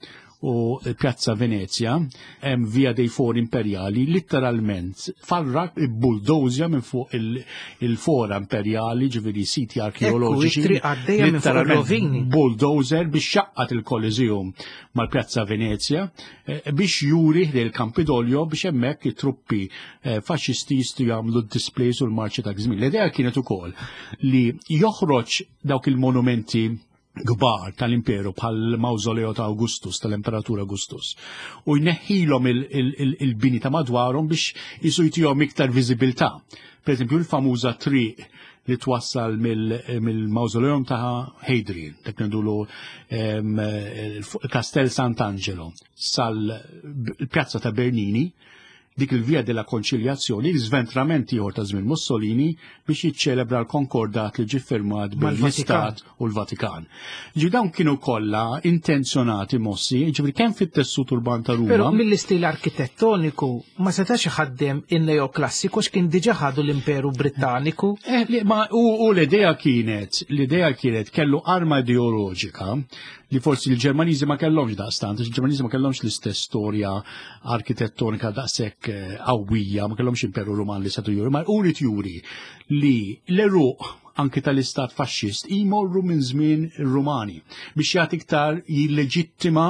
Speaker 3: u Pjazza Venezia, hemm Via dei Fori Imperjali, litteralment farrak bulldozja minn fuq il-fora imperjali, ġifieri siti arkeoloġiċi.
Speaker 2: Litteralment
Speaker 3: bulldozer biex xaqqat il-Coliseum mal-Pjazza Venezia eh, biex juri ħdej il-Campidoglio biex hemmhekk it-truppi eh, faxxisti jistgħu jagħmlu d-displays u l-marċi ta' żmien. L-idea kienet ukoll li joħroġ dawk il-monumenti kbar tal-imperu bħal mawżoleo ta' Augustus, tal-Imperatur Augustus, u jneħħilhom il-bini ta' madwarhom biex jisu jtihom iktar viżibilità. Per eżempju, il-famuża triq li twassal mill-mawżoleum ta' Hadrian, dak ngħidulu il-Castel Sant'Angelo, sal-Pjazza ta' Bernini, dik il-Via della Konċiljazzjoni, l-żventrament ieħor ta' żmien Mussolini biex jiċċelebra l-konkordat li ġie ffirmat bejn l-Istat u l-Vatikan. Ġi dawn kienu kollha intenzjonati mossi, ġifieri kemm fit-tessut urban ta' Ruma.
Speaker 2: Però mill-istil arkitettoniku ma setax iħaddem in-neoklassiku x'kien diġà ħadu l-Imperu Brittaniku.
Speaker 3: Eh, ma u l-idea kienet, l-idea kienet kellu arma ideoloġika li forsi l-Ġermaniżi ma kellhomx daqstant, il-Ġermaniżi ma kellhomx l-istess storja arkitettonika daqshekk eh, qawwija, ma kellhomx imperu Ruman li setu juri, ma uri juri li l-eruq anki tal-istat faxxist jmorru minn żmien ir-Rumani biex jagħti iktar jilleġittima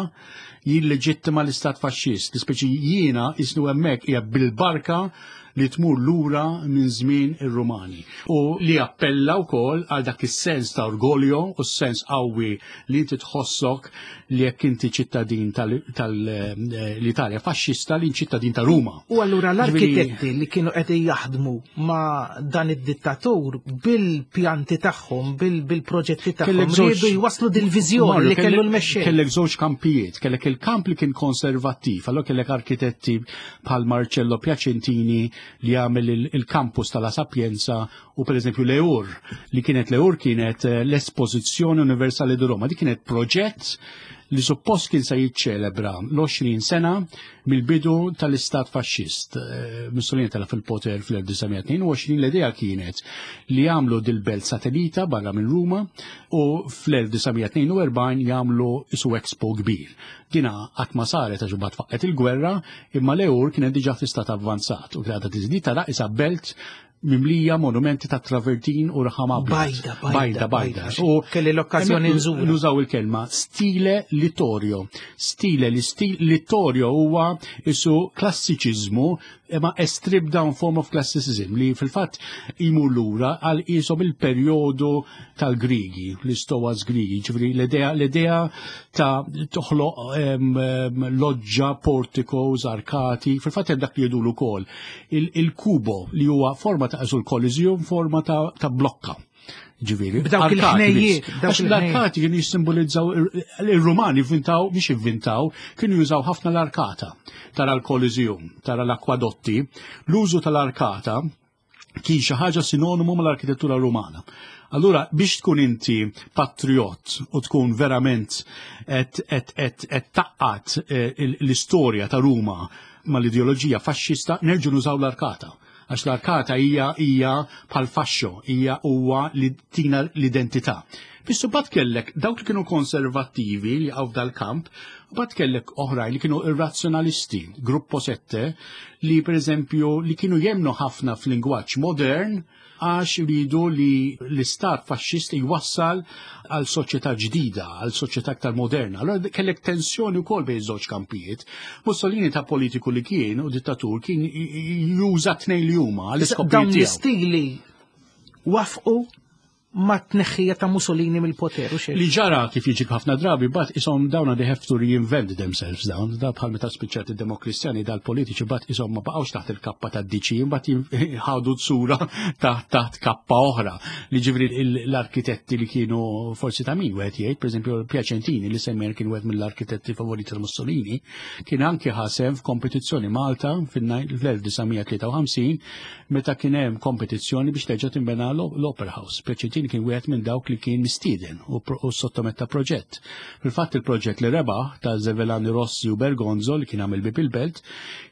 Speaker 3: jilleġittima l-istat faxxist. Speċi jiena isnu hemmhekk hija bil-barka li tmur lura minn żmien ir-Rumani u li appella wkoll għal dak is-sens ta' orgoljo u s-sens qawwi li inti tħossok li jekk inti ċittadin tal-Italja faxxista li ċittadin ta' Ruma.
Speaker 2: U allura l-arkitetti li kienu qed jaħdmu ma' dan id-dittatur bil-pjanti tagħhom, bil-proġetti tagħhom, riedu jwaslu dil-viżjoni li kellu l-mexxej.
Speaker 3: Kellek żewġ kampijiet, kellek il-kamp li kien konservattiv, allura kellek arkitetti bħal Marcello Piacentini li għamel il-campus tal-La Sapienza u per eżempju l-EUR li kienet l-EUR kienet eh, l-Espożizzjoni Universali di Roma. Di kienet proġett li suppost kien se jiċċelebra l-20 sena mill-bidu tal-istat faxxist. Eh, Mussolini tela fil-poter fl-1922 l-idea kienet li jagħmlu dil-belt satellita barra minn Ruma u fl-1942 jagħmlu isu expo kbir. Dina qatt ma saret għax imbagħad faqqet il-gwerra, imma l-EUR kienet diġà fi stat avvanzat u kienet tiżdied tara isa belt mimlija monumenti ta' travertin u raħam abjad.
Speaker 2: Bajda, bajda, bajda. U kelli l-okkażjoni nżur.
Speaker 3: Nużaw il-kelma stile littorio. Stile li stil littorio huwa isu klassiċiżmu imma a stripped down form of classicism li fil-fatt imur lura għal qishom il-perjodu tal-Grigi, l-istowas Grigi, ġifieri l-idea l-idea ta' toħloq loġġa, porticos, arkati, fil-fatt hemm dak li jgħidulu wkoll il-kubo li huwa forma ta' l-Coliseum, forma ta' blokka. Ġifieri,
Speaker 2: B'dawk il-ħnejjiet.
Speaker 3: Għax l-arkati kienu jissimbolizzaw il-Rumani vvintaw, biex ivvintaw, kienu jużaw ħafna l-arkata. Tara l-Coliseum, tara l-akwadotti, l-użu tal-arkata kien xi ħaġa sinonimu mal-arkitettura Rumana. Allura biex tkun inti patriot u tkun verament qed taqqat eh, l-istorja ta' Ruma mal-ideoloġija faxxista, nerġu nużaw l-arkata għax l-arkata hija hija bħal faxxo, hija huwa li tina l-identità. Biss bat kellek dawk li kienu konservattivi li għaw dal-kamp, bat kellek oħrajn li kienu irrazzjonalisti, gruppo sette, li per eżempju li kienu jemnu ħafna f'lingwaġġ modern, għax iridu li l-istat faxxist jwassal għal soċjetà ġdida, għal soċjetà aktar moderna. Allora kellek tensjoni wkoll bejn żewġ kampijiet. Mussolini ta' politiku li kien u dittatur kien juża tnejn li huma għal iskopijiet
Speaker 2: Dawn l-istili wafqu ma tneħħija ta' Mussolini mill-poter u xejn.
Speaker 3: Li ġara kif jiġi ħafna drabi, bat isom dawna they have to reinvent themselves dawn, da bħal meta spiċċat id-demokristjani dal-politiċi bat isom ma baqgħux taħt il-kappa ta' DC, bat ħadu tsura taħt taħt kappa oħra. Li ġifri l-arkitetti li kienu forsi ta' min wieħed jgħid, pereżempju Piacentini li semmejna kien wieħed mill-arkitetti favoriti ta' Mussolini, kien anki ħasem f'kompetizzjoni Malta fil-1953 meta kien hemm kompetizzjoni biex terġa' tinbena l-Opera House. Piacentini kien wieħed minn dawk li kien mistieden u sottometta proġett. Fil-fatt il-proġett li rebaħ ta' Zevelani Rossi u Bergonzo li kien għamil bib il-belt,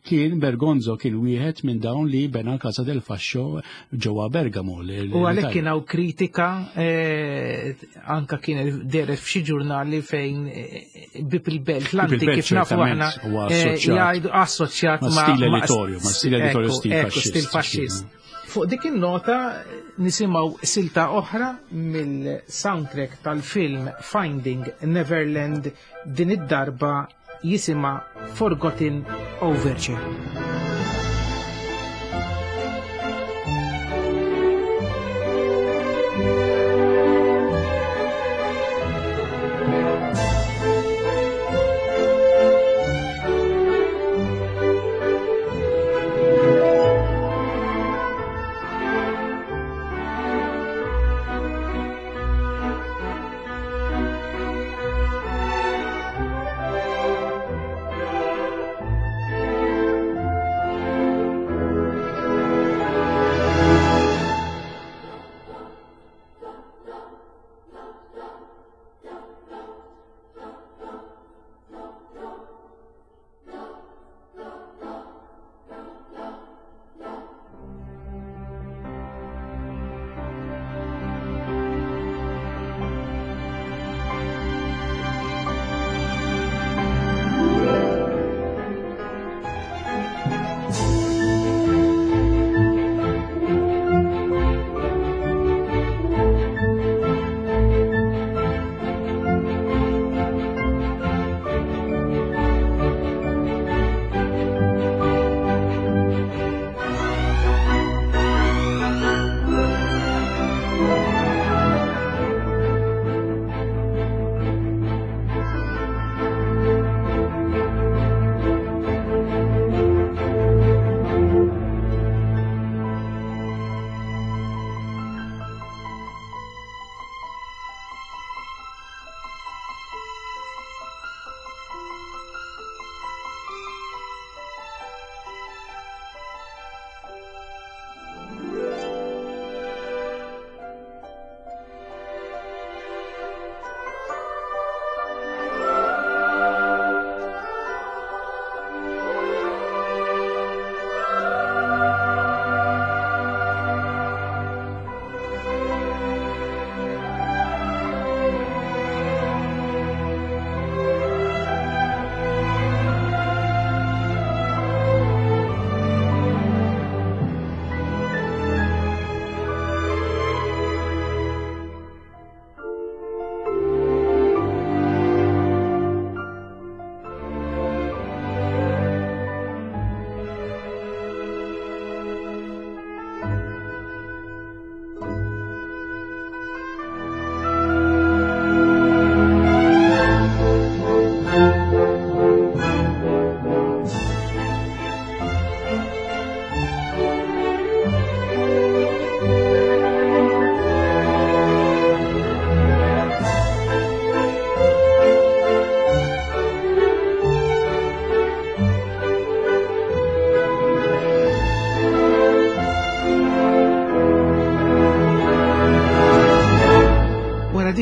Speaker 3: kien Bergonzo kien wieħed minn dawn li bena l-Casa del Fascio ġewwa Bergamo.
Speaker 2: U għalhekk kien hawn kritika eh, anka kien deret f'xi ġurnali fejn eh, bib il-belt l-antik kif nafu aħna eh, jgħidu assoċjat
Speaker 3: ma' stil editorju, ma' stil editorju stil
Speaker 2: faxxist. Fuq dik il-nota nisimgħu silta oħra mill-soundtrack tal-film Finding Neverland din id-darba jisimha Forgotten Overture.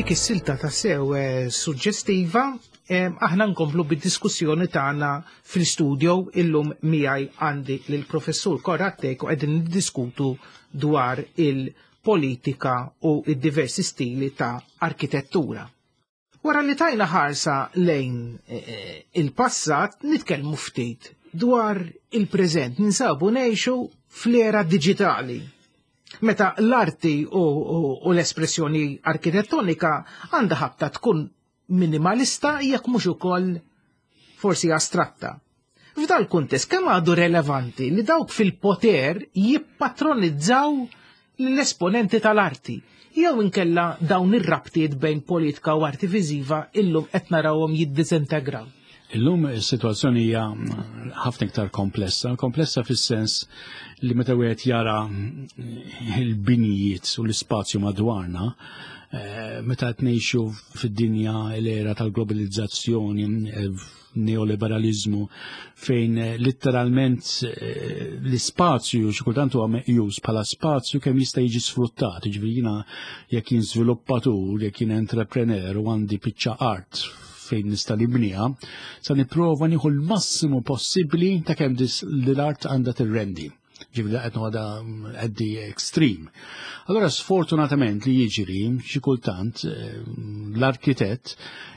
Speaker 2: Wara dik is-silta ta' sew eh, suġġestiva, eh, aħna nkomplu bid-diskussjoni tagħna fil-studio illum miegħi għandi lill-professur Konrad Thake u qegħdin niddiskutu dwar il-politika u id-diversi stili ta' arkitettura. Wara li tajna ħarsa lejn eh, il-passat, nitkellmu ftit dwar il-preżent. Ninsabu ngħixu fl-era digitali. Meta l-arti u l-espressjoni arkitettonika għandha ħabta tkun minimalista jekk mhux ukoll forsi astratta. F'dal kuntest kemm għadu relevanti li dawk fil-poter jippatronizzaw l-esponenti tal-arti jew inkella dawn ir-rabtiet bejn politika u arti viżiva illum qed narawhom jiddisintegraw.
Speaker 3: Illum is-sitwazzjoni hija ħafna iktar komplessa, komplessa fis-sens li meta wieħed jara il-binijiet u l-ispazju madwarna, eh, meta qed ngħixu fid-dinja l-era tal-globalizzazzjoni, eh, neoliberalizmu fejn eh, letteralment l-ispazju xi kultant huwa meqjus bħala spazju kemm jista' jiġi sfruttat, jiġifieri jiena jekk jien żviluppatur, jekk jien entrepreneur u għandi biċċa art fejn nista' nibniha, sa nipprova nieħu l-massimu possibbli ta' kemm l-art għandha tirrendi. Ġifieri qed noħodha at the extreme. Allora sfortunatament li jiġri xi kultant eh, l-arkitett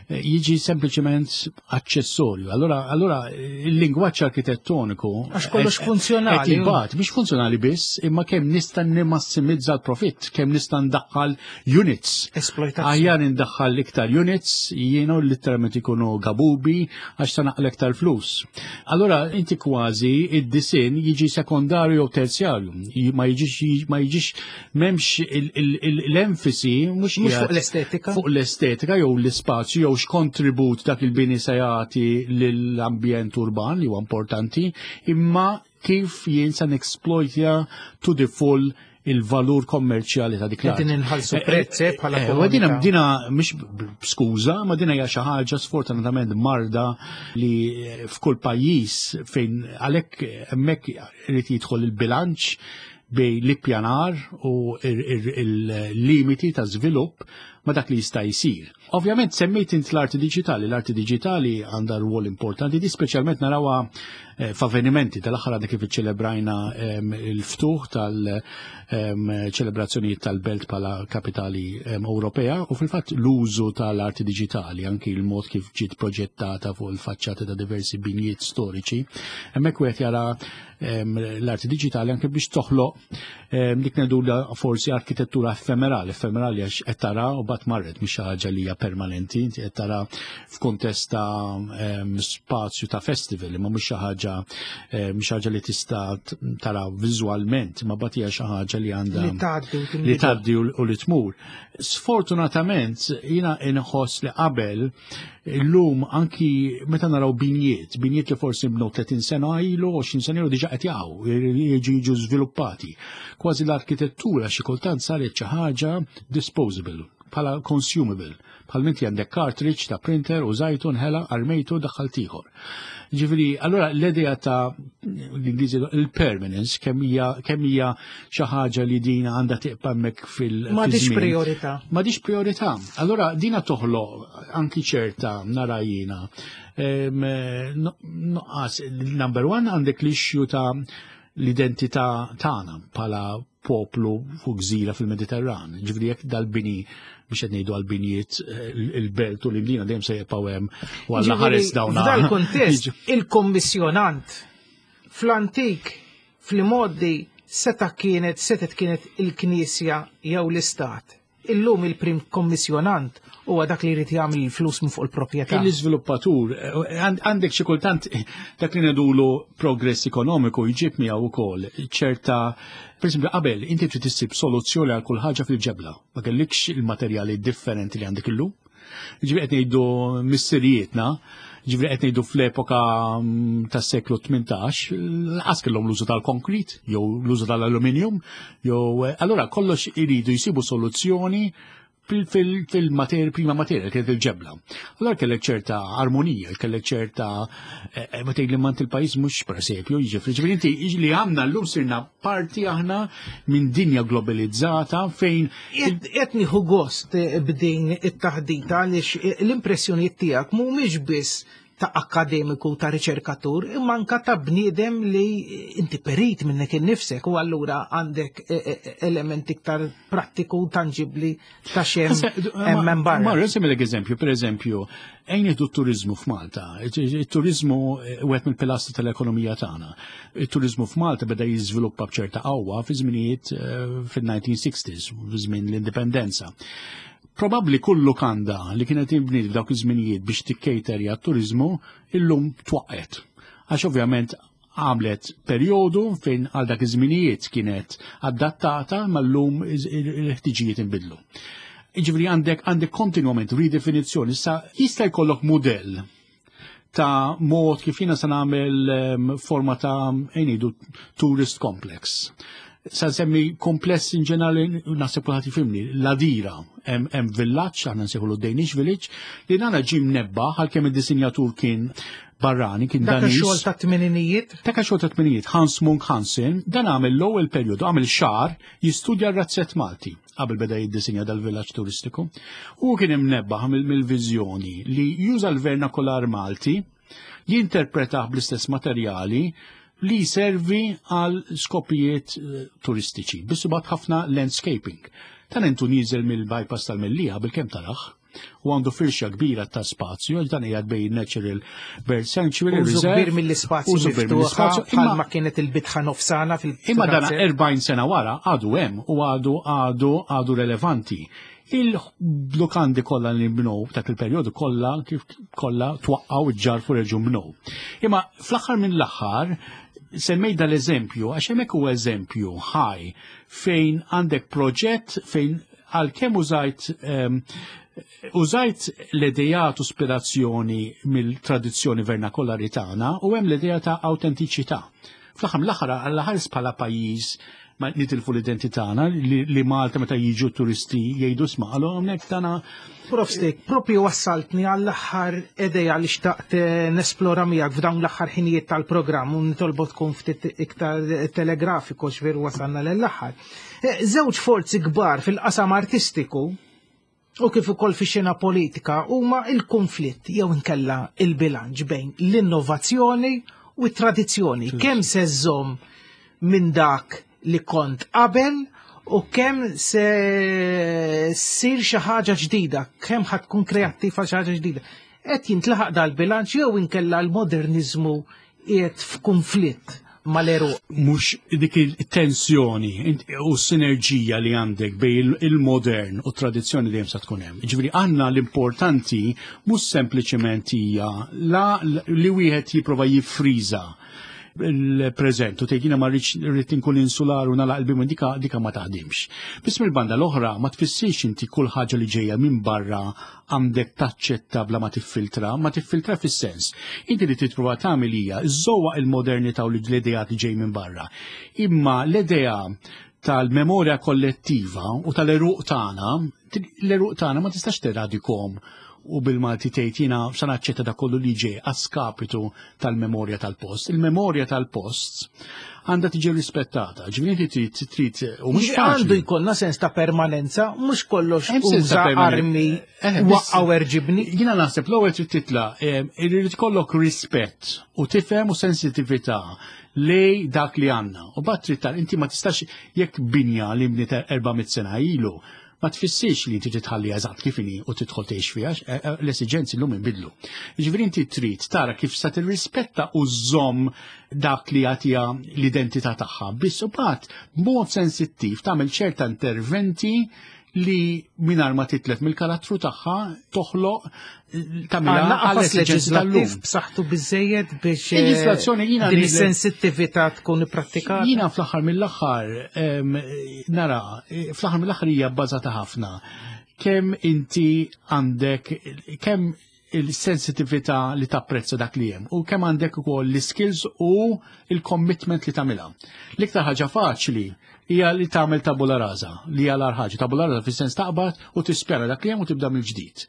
Speaker 3: eh, jiġi sempliċement aċċessorju. Allora, allora il-lingwaġġ arkitettoniku
Speaker 2: Għax kollox funzjonali.
Speaker 3: Qed jibgħat, mhix funzjonali biss, imma kemm nista' nimmassimizza l-profitt, kemm nista' ndaħħal units.
Speaker 2: Esploitazzjoni.
Speaker 3: Aħjar indaħħal iktar units, jienu literalment ikunu gabubi għax ta' naqla iktar flus. Allora inti kważi id-disin jiġi sekondarju jew terzjarju, ma jiġix ma jiġix m'hemmx l-enfasi mhux
Speaker 2: Mhux
Speaker 3: qiegħed
Speaker 2: fuq l-estetika.
Speaker 3: fuq l-estetika jew l-ispazju jew x'kontribut dak il-bini se jagħti lill-ambjent urban li huwa importanti, imma kif jien se nexploitja to the full il-valur kommerċjali ta' dik l-art.
Speaker 2: Qegħdin inħallsu prezz eh, bħala
Speaker 3: u dina
Speaker 2: komunità.
Speaker 3: dina mhix skuża, ma dina hija xi ħaġa sfortunatament marda li f'kull pajjiż fejn għalhekk hemmhekk irid jidħol il-bilanċ bejn l-ippjanar u il-limiti ta' żvilupp ma dak li jista' jsir. Ovvjament semmejt int l-arti diġitali, l-arti diġitali għandha rwol importanti, di speċjalment narawha eh, f'avvenimenti tal-aħħar għadna kif iċċelebrajna il-ftuħ tal-ċelebrazzjonijiet tal-belt bħala kapitali Ewropea u fil-fatt l-użu tal-arti diġitali, anki il-mod kif ġiet proġettata fuq il-faċċati ta' diversi binjiet storiċi, hemmhekk wieħed jara l-arti diġitali anke biex toħloq dik ngħidulha forsi arkitettura effemerali, effemerali għax qed tara u bat marret mhix xi ħaġa li hija permanenti, inti qed tara f'kuntest ta' spazju ta' festival, imma mhux xi ħaġa mhux ħaġa li tista' tara viżwalment, imma bat hija xi ħaġa li għandha
Speaker 2: Li tgħaddi u
Speaker 3: li
Speaker 2: tinbidel.
Speaker 3: tgħaddi u li tmur. Sfortunatament jiena inħoss li qabel illum anki meta naraw binjiet, binjiet li forsi bnew 30 sena ilu, 20 sena ilu diġà qed jaqgħu, jiġu jiġu żviluppati. Kważi l-arkitettura xi kultant saret xi ħaġa disposable, bħala consumable. Bħal minti għandek cartridge ta' printer użajtu nħela armejtu daħħalt ieħor. Ġifieri, allora l-idea ta' l-Ingliżi il-permanence kemm hija kemm hija xi ħaġa li din għandha tibqa' hemmhekk fil
Speaker 2: Ma
Speaker 3: fiż-żmien.
Speaker 2: priorità.
Speaker 3: Ma dix priorità. Allora dina toħloq anki ċerta nara jiena. Nuqqas, number one għandek l-issue ta' l-identità tagħna bħala poplu fuq gżira fil-Mediterran. Ġifieri jekk dal-bini biex qed ngħidu għall-binjiet il-belt u l-Imdina dejjem se jibqgħu hemm u Alla ħares dawn.
Speaker 2: F'dal kuntest il-kommissjonant fl-antik fl-modi seta kienet setet kienet il-Knisja jew l-Istat. Illum il-prim kommissjonant huwa dak li jrid jagħmel il-flus minn fuq il-proprjetà.
Speaker 3: Il-iżviluppatur, għandek xi kultant dak li ngħidulu progress ekonomiku jġib miegħu wkoll ċerta, per esempio, qabel inti trid issib soluzzjoni għal kull ħaġa fil-ġebla, ma kellikx il-materjali differenti li għandek illum. Ġifieri qed ngħidu missirijietna, ġifieri qed ngħidu fl-epoka tas-seklu 18, lanqas kellhom l-użu tal-konkrit, jew l-użu tal-aluminium, jew allura kollox iridu jsibu soluzzjoni fil-materja, prima materja, kienet il-ġebla. Allora kellek ċerta armonija, kellek ċerta, eh, eh, ma tgħid li mant il-pajjiż mhux presepju, jiġifieri, ġifieri inti li għandna llum sirna parti aħna minn dinja globalizzata fejn.
Speaker 2: Qed nieħu gost eh, b'din it-taħdita għaliex l-impressjonijiet tiegħek mhumiex biss ta' akkademiku ta' riċerkatur imma anka ta' bniedem li inti perit minnek innifsek u allura għandek e, e, e, element iktar prattiku u tangibli ta' xem hemm barra.
Speaker 3: Marra, semmilek eżempju, per eżempju, ejn nieħdu t-turizmu f'Malta. Il-turizmu wieħed mill-pilastri tal-ekonomija tagħna. Il-turizmu f'Malta beda jiżviluppa b'ċerta qawwa fi żminijiet fil-1960s, fi żmien l-indipendenza. Probabbli kull lukanda li kienet inbniet f'dawk iż-żminijiet biex tikkejterja t-turiżmu illum twaqqgħet. Għax ovvjament għamlet perjodu fejn għal dak iż-żminijiet kienet adattata ma llum il-ħtiġijiet inbidlu. Jiġifieri għandek għandek kontinwament ridefinizzjoni. Issa jista' jkollok mudell ta' mod kif jiena se nagħmel ehm, forma ta' ngħidu tourist complex. Sa nsemmi kompless in ġenerali naħseb kulħadd jifhimni, l-Adira hemm villaġġ aħna nsejħulu Danish Village li nagħna ġie mnebbaħ għalkemm id-disinjatur kien barrani kien
Speaker 2: Dak xogħol ta' tmeninijiet?
Speaker 3: Dak xogħol ta' tmeninijiet, Hans Munk Hansen, dan għamel l-ewwel perjodu, għamel xahar jistudja r-razzett Malti qabel beda jiddisinja dal-villaġġ turistiku. U kien imnebbaħ mill-viżjoni li juża l-vernakolar Malti, jinterpretah bl-istess materjali li jservi għal skopijiet eh, turistiċi. Biss imbagħad ħafna landscaping. Tan intu nieżel mill-bypass tal-Mellija bil-kemm taraħ u għandu firxa kbira ta' spazju, għax dan qiegħed bejn Natural Bird Sanctuary
Speaker 2: Użu kbir mill-ispazju
Speaker 3: użu kbir mill-ispazju,
Speaker 2: imma kienet il-bitħa nofsana fil
Speaker 3: Imma dan 40 sena wara għadu hemm u għadu għadu għadu relevanti. Il-lukandi kollha li nbnew dak il-perjodu kollha kif kollha twaqqgħu ġġarfu reġgħu nbnew. Imma fl-aħħar minn l-aħħar semmejt dal-eżempju għax hemmhekk huwa eżempju ħaj fejn għandek proġett fejn għalkemm użajt ehm, użajt l-idejat u ispirazzjoni mill-tradizzjoni vernakolari tagħna u hemm l-idea ta' awtentiċità. Fl-aħħar mill-aħħar għall-ħares bħala pajjiż ma nitilfu l-identità tagħna li Malta meta jiġu turisti jgħidu sma' għalu hawnhekk tagħna.
Speaker 2: Prof Stik, propju wassaltni għall-aħħar idea li xtaqt eh, nesplora miegħek f'dawn l-aħħar ħinijiet tal-programm u nitolbu tkun ftit iktar telegrafiku x'veru wasalna l-aħħar. Eh, żewġ forzi kbar fil-qasam artistiku u kif ukoll fix-xena politika huma il-konflitt jew inkella il-bilanċ bejn l-innovazzjoni u t-tradizzjoni. Kemm se żżomm minn dak li kont qabel u kemm se ssir xi ħaġa ġdida, kemm ħad tkun kreattiva xi ħaġa ġdida. Qed jintlaħaq dal-bilanċ jew inkella l-moderniżmu qiegħed f'kunflitt mal-għeruq.
Speaker 3: Mhux dik it-tensjoni u s-sinerġija li għandek bejn il-modern u t-tradizzjoni dejjem sa tkun hemm. Ġifieri għandna l-importanti mhux sempliċement hija la li wieħed jipprova jiffriża il-preżent u tgħid jiena ma rridx rrid inkun insular u nagħlaq il-bibien dika dika ma taħdimx. Biss mill-banda l-oħra ma tfissirx inti kull ħaġa li ġejja minn barra għandek taċċetta bla ma tiffiltra, ma tiffiltra fis-sens. Inti li titprova tagħmel hija żżowaq il-modernità u l-ideat li ġej minn barra. Imma l-idea tal-memorja kollettiva u tal-eruq tagħna, l-eruq tagħna ma tistax teradikom u bil-Malti tgħid jiena sa naċċetta dak kollu li ġej għas-skapitu tal-memorja tal-post. Il-memorja tal-post għandha tiġi rispettata. Ġifieri trid trid
Speaker 2: u mhux għandu jkollna sens ta' permanenza, mhux kollox uża armi eh, waqqgħu erġibni.
Speaker 3: Jiena naħseb l-ewwel trid titla' eh, irid ikollok rispett u tifhem u sensitività lej dak li għandna. U bat trid inti ma tistax jekk binja li bniet 400 sena ilu ma tfissirx li inti titħalli eżatt kif inhi u tidħol tgħix fiha, eh, eh, l-esiġenzi llum inbidlu. Jiġifieri inti trid tara kif sa tirrispetta u żżomm dak li jagħtiha l-identità tagħha, biss u bad b'mod sensittiv tagħmel ċerta interventi li mingħajr ma titlef mill-karattru tagħha toħloq
Speaker 2: tagħmilha għal leġislattiv b'saħħtu biżejjed biex eh, leġislazzjoni jiena din is-sensittività tkun ipprattikata.
Speaker 3: Jiena fl-aħħar mill-aħħar nara fl-aħħar mill-aħħar hija bbażata ħafna kemm inti għandek kemm il-sensitività li tapprezza dak li hemm u kemm għandek ukoll l-skills u il-commitment li tagħmilha. L-iktar ħaġa faċli hija li tagħmel tabula rasa, li hija l ħaġa. Tabula rasa fis-sens taqbad u tispera dak li hemm u tibda mill-ġdid.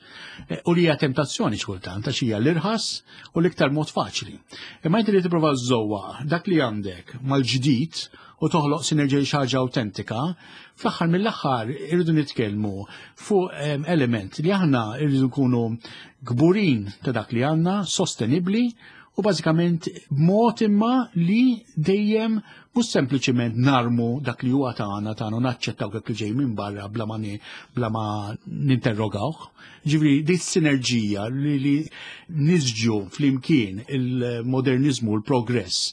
Speaker 3: E, u li hija tentazzjoni xkultant għax hija l-irħas u l-iktar mod faċli. Imma inti li tipprova żżowwa dak li għandek mal-ġdid u toħloq sinerġija xi ħaġa awtentika, fl-aħħar mill-aħħar irridu nitkellmu fuq element li aħna irridu nkunu kburin ta' dak li għandna, sostenibbli u bażikament b'mod imma li dejjem mhux sempliċiment narmu dak li huwa tagħna tagħna u naċċettaw dak li ġej minn barra bla ma bla ma ninterrogawh. Ġifieri di sinerġija li, li nisġu flimkien il-modernizmu u l-progress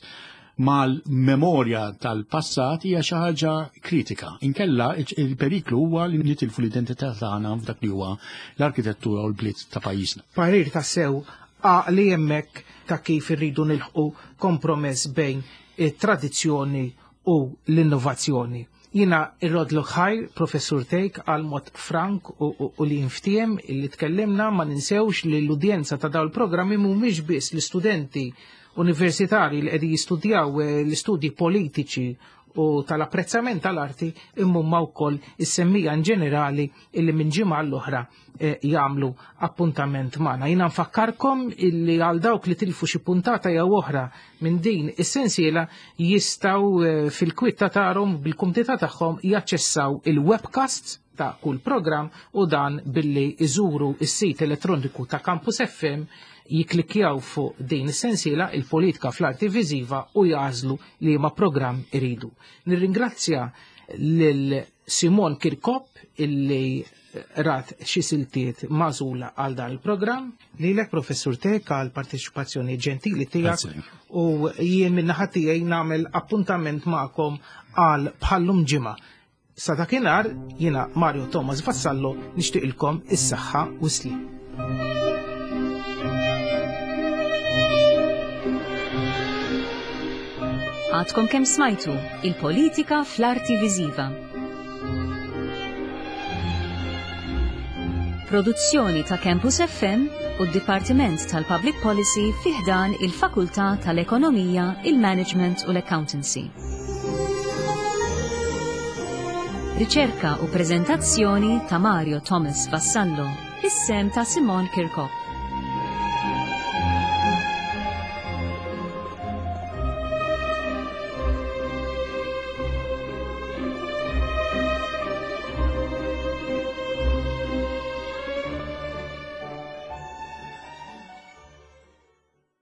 Speaker 3: mal-memorja tal-passat hija xi ħaġa kritika. Inkella il-periklu huwa li nitilfu l-identità tagħna f'dak li huwa l-arkitettura u l-bliet ta' pajjiżna.
Speaker 2: Parir ta' sew għaqli hemmhekk ta' kif irridu nilħqu kompromess bejn it-tradizzjoni u l-innovazzjoni. Jina irrodlok ħajr, Professur Tejk, għal mod frank u, u, u li jinftiem li tkellimna ma ninsewx li l-udjenza ta' dawn il-programmi mhumiex biss l-istudenti universitari li qegħdin jistudjaw eh, l-istudji politiċi u tal-apprezzament tal-arti imma huma wkoll is-semmija in ġenerali illi minn ġimgħa l-oħra eh, jagħmlu appuntament magħna. Jiena nfakkarkom illi għal dawk li tilfu xi puntata jew oħra minn din is-sensiela jistgħu eh, fil-kwitta tagħhom bil-kumdità tagħhom jaċċessaw il-webcasts ta' kull programm u dan billi iżuru is-sit elettroniku ta' Campus FM jiklikjaw fuq din is-sensiela il-politika fl-arti viżiva u jażlu li ma programm iridu. Nirringrazzja lil Simon Kirkop illi rat xi siltiet magħżula għal dan il-programm. Lilek Professur Tek għal parteċipazzjoni ġentili tiegħek u jien min-naħa tiegħi nagħmel appuntament magħkom għal bħallum ġimgħa. Sa dakinhar jiena Mario Thomas Vassallo nixtieqilkom is-saħħa u s-sliem.
Speaker 1: Għadkom kemm smajtu il-politika fl-arti viżiva. Produzzjoni ta' Campus FM u d-Dipartiment tal-Public Policy fi ħdan il-Fakultà tal-Ekonomija, il-Management u l-Accountancy. Riċerka u preżentazzjoni ta' Mario Thomas Vassallo, is-sem ta' Simon Kirkop.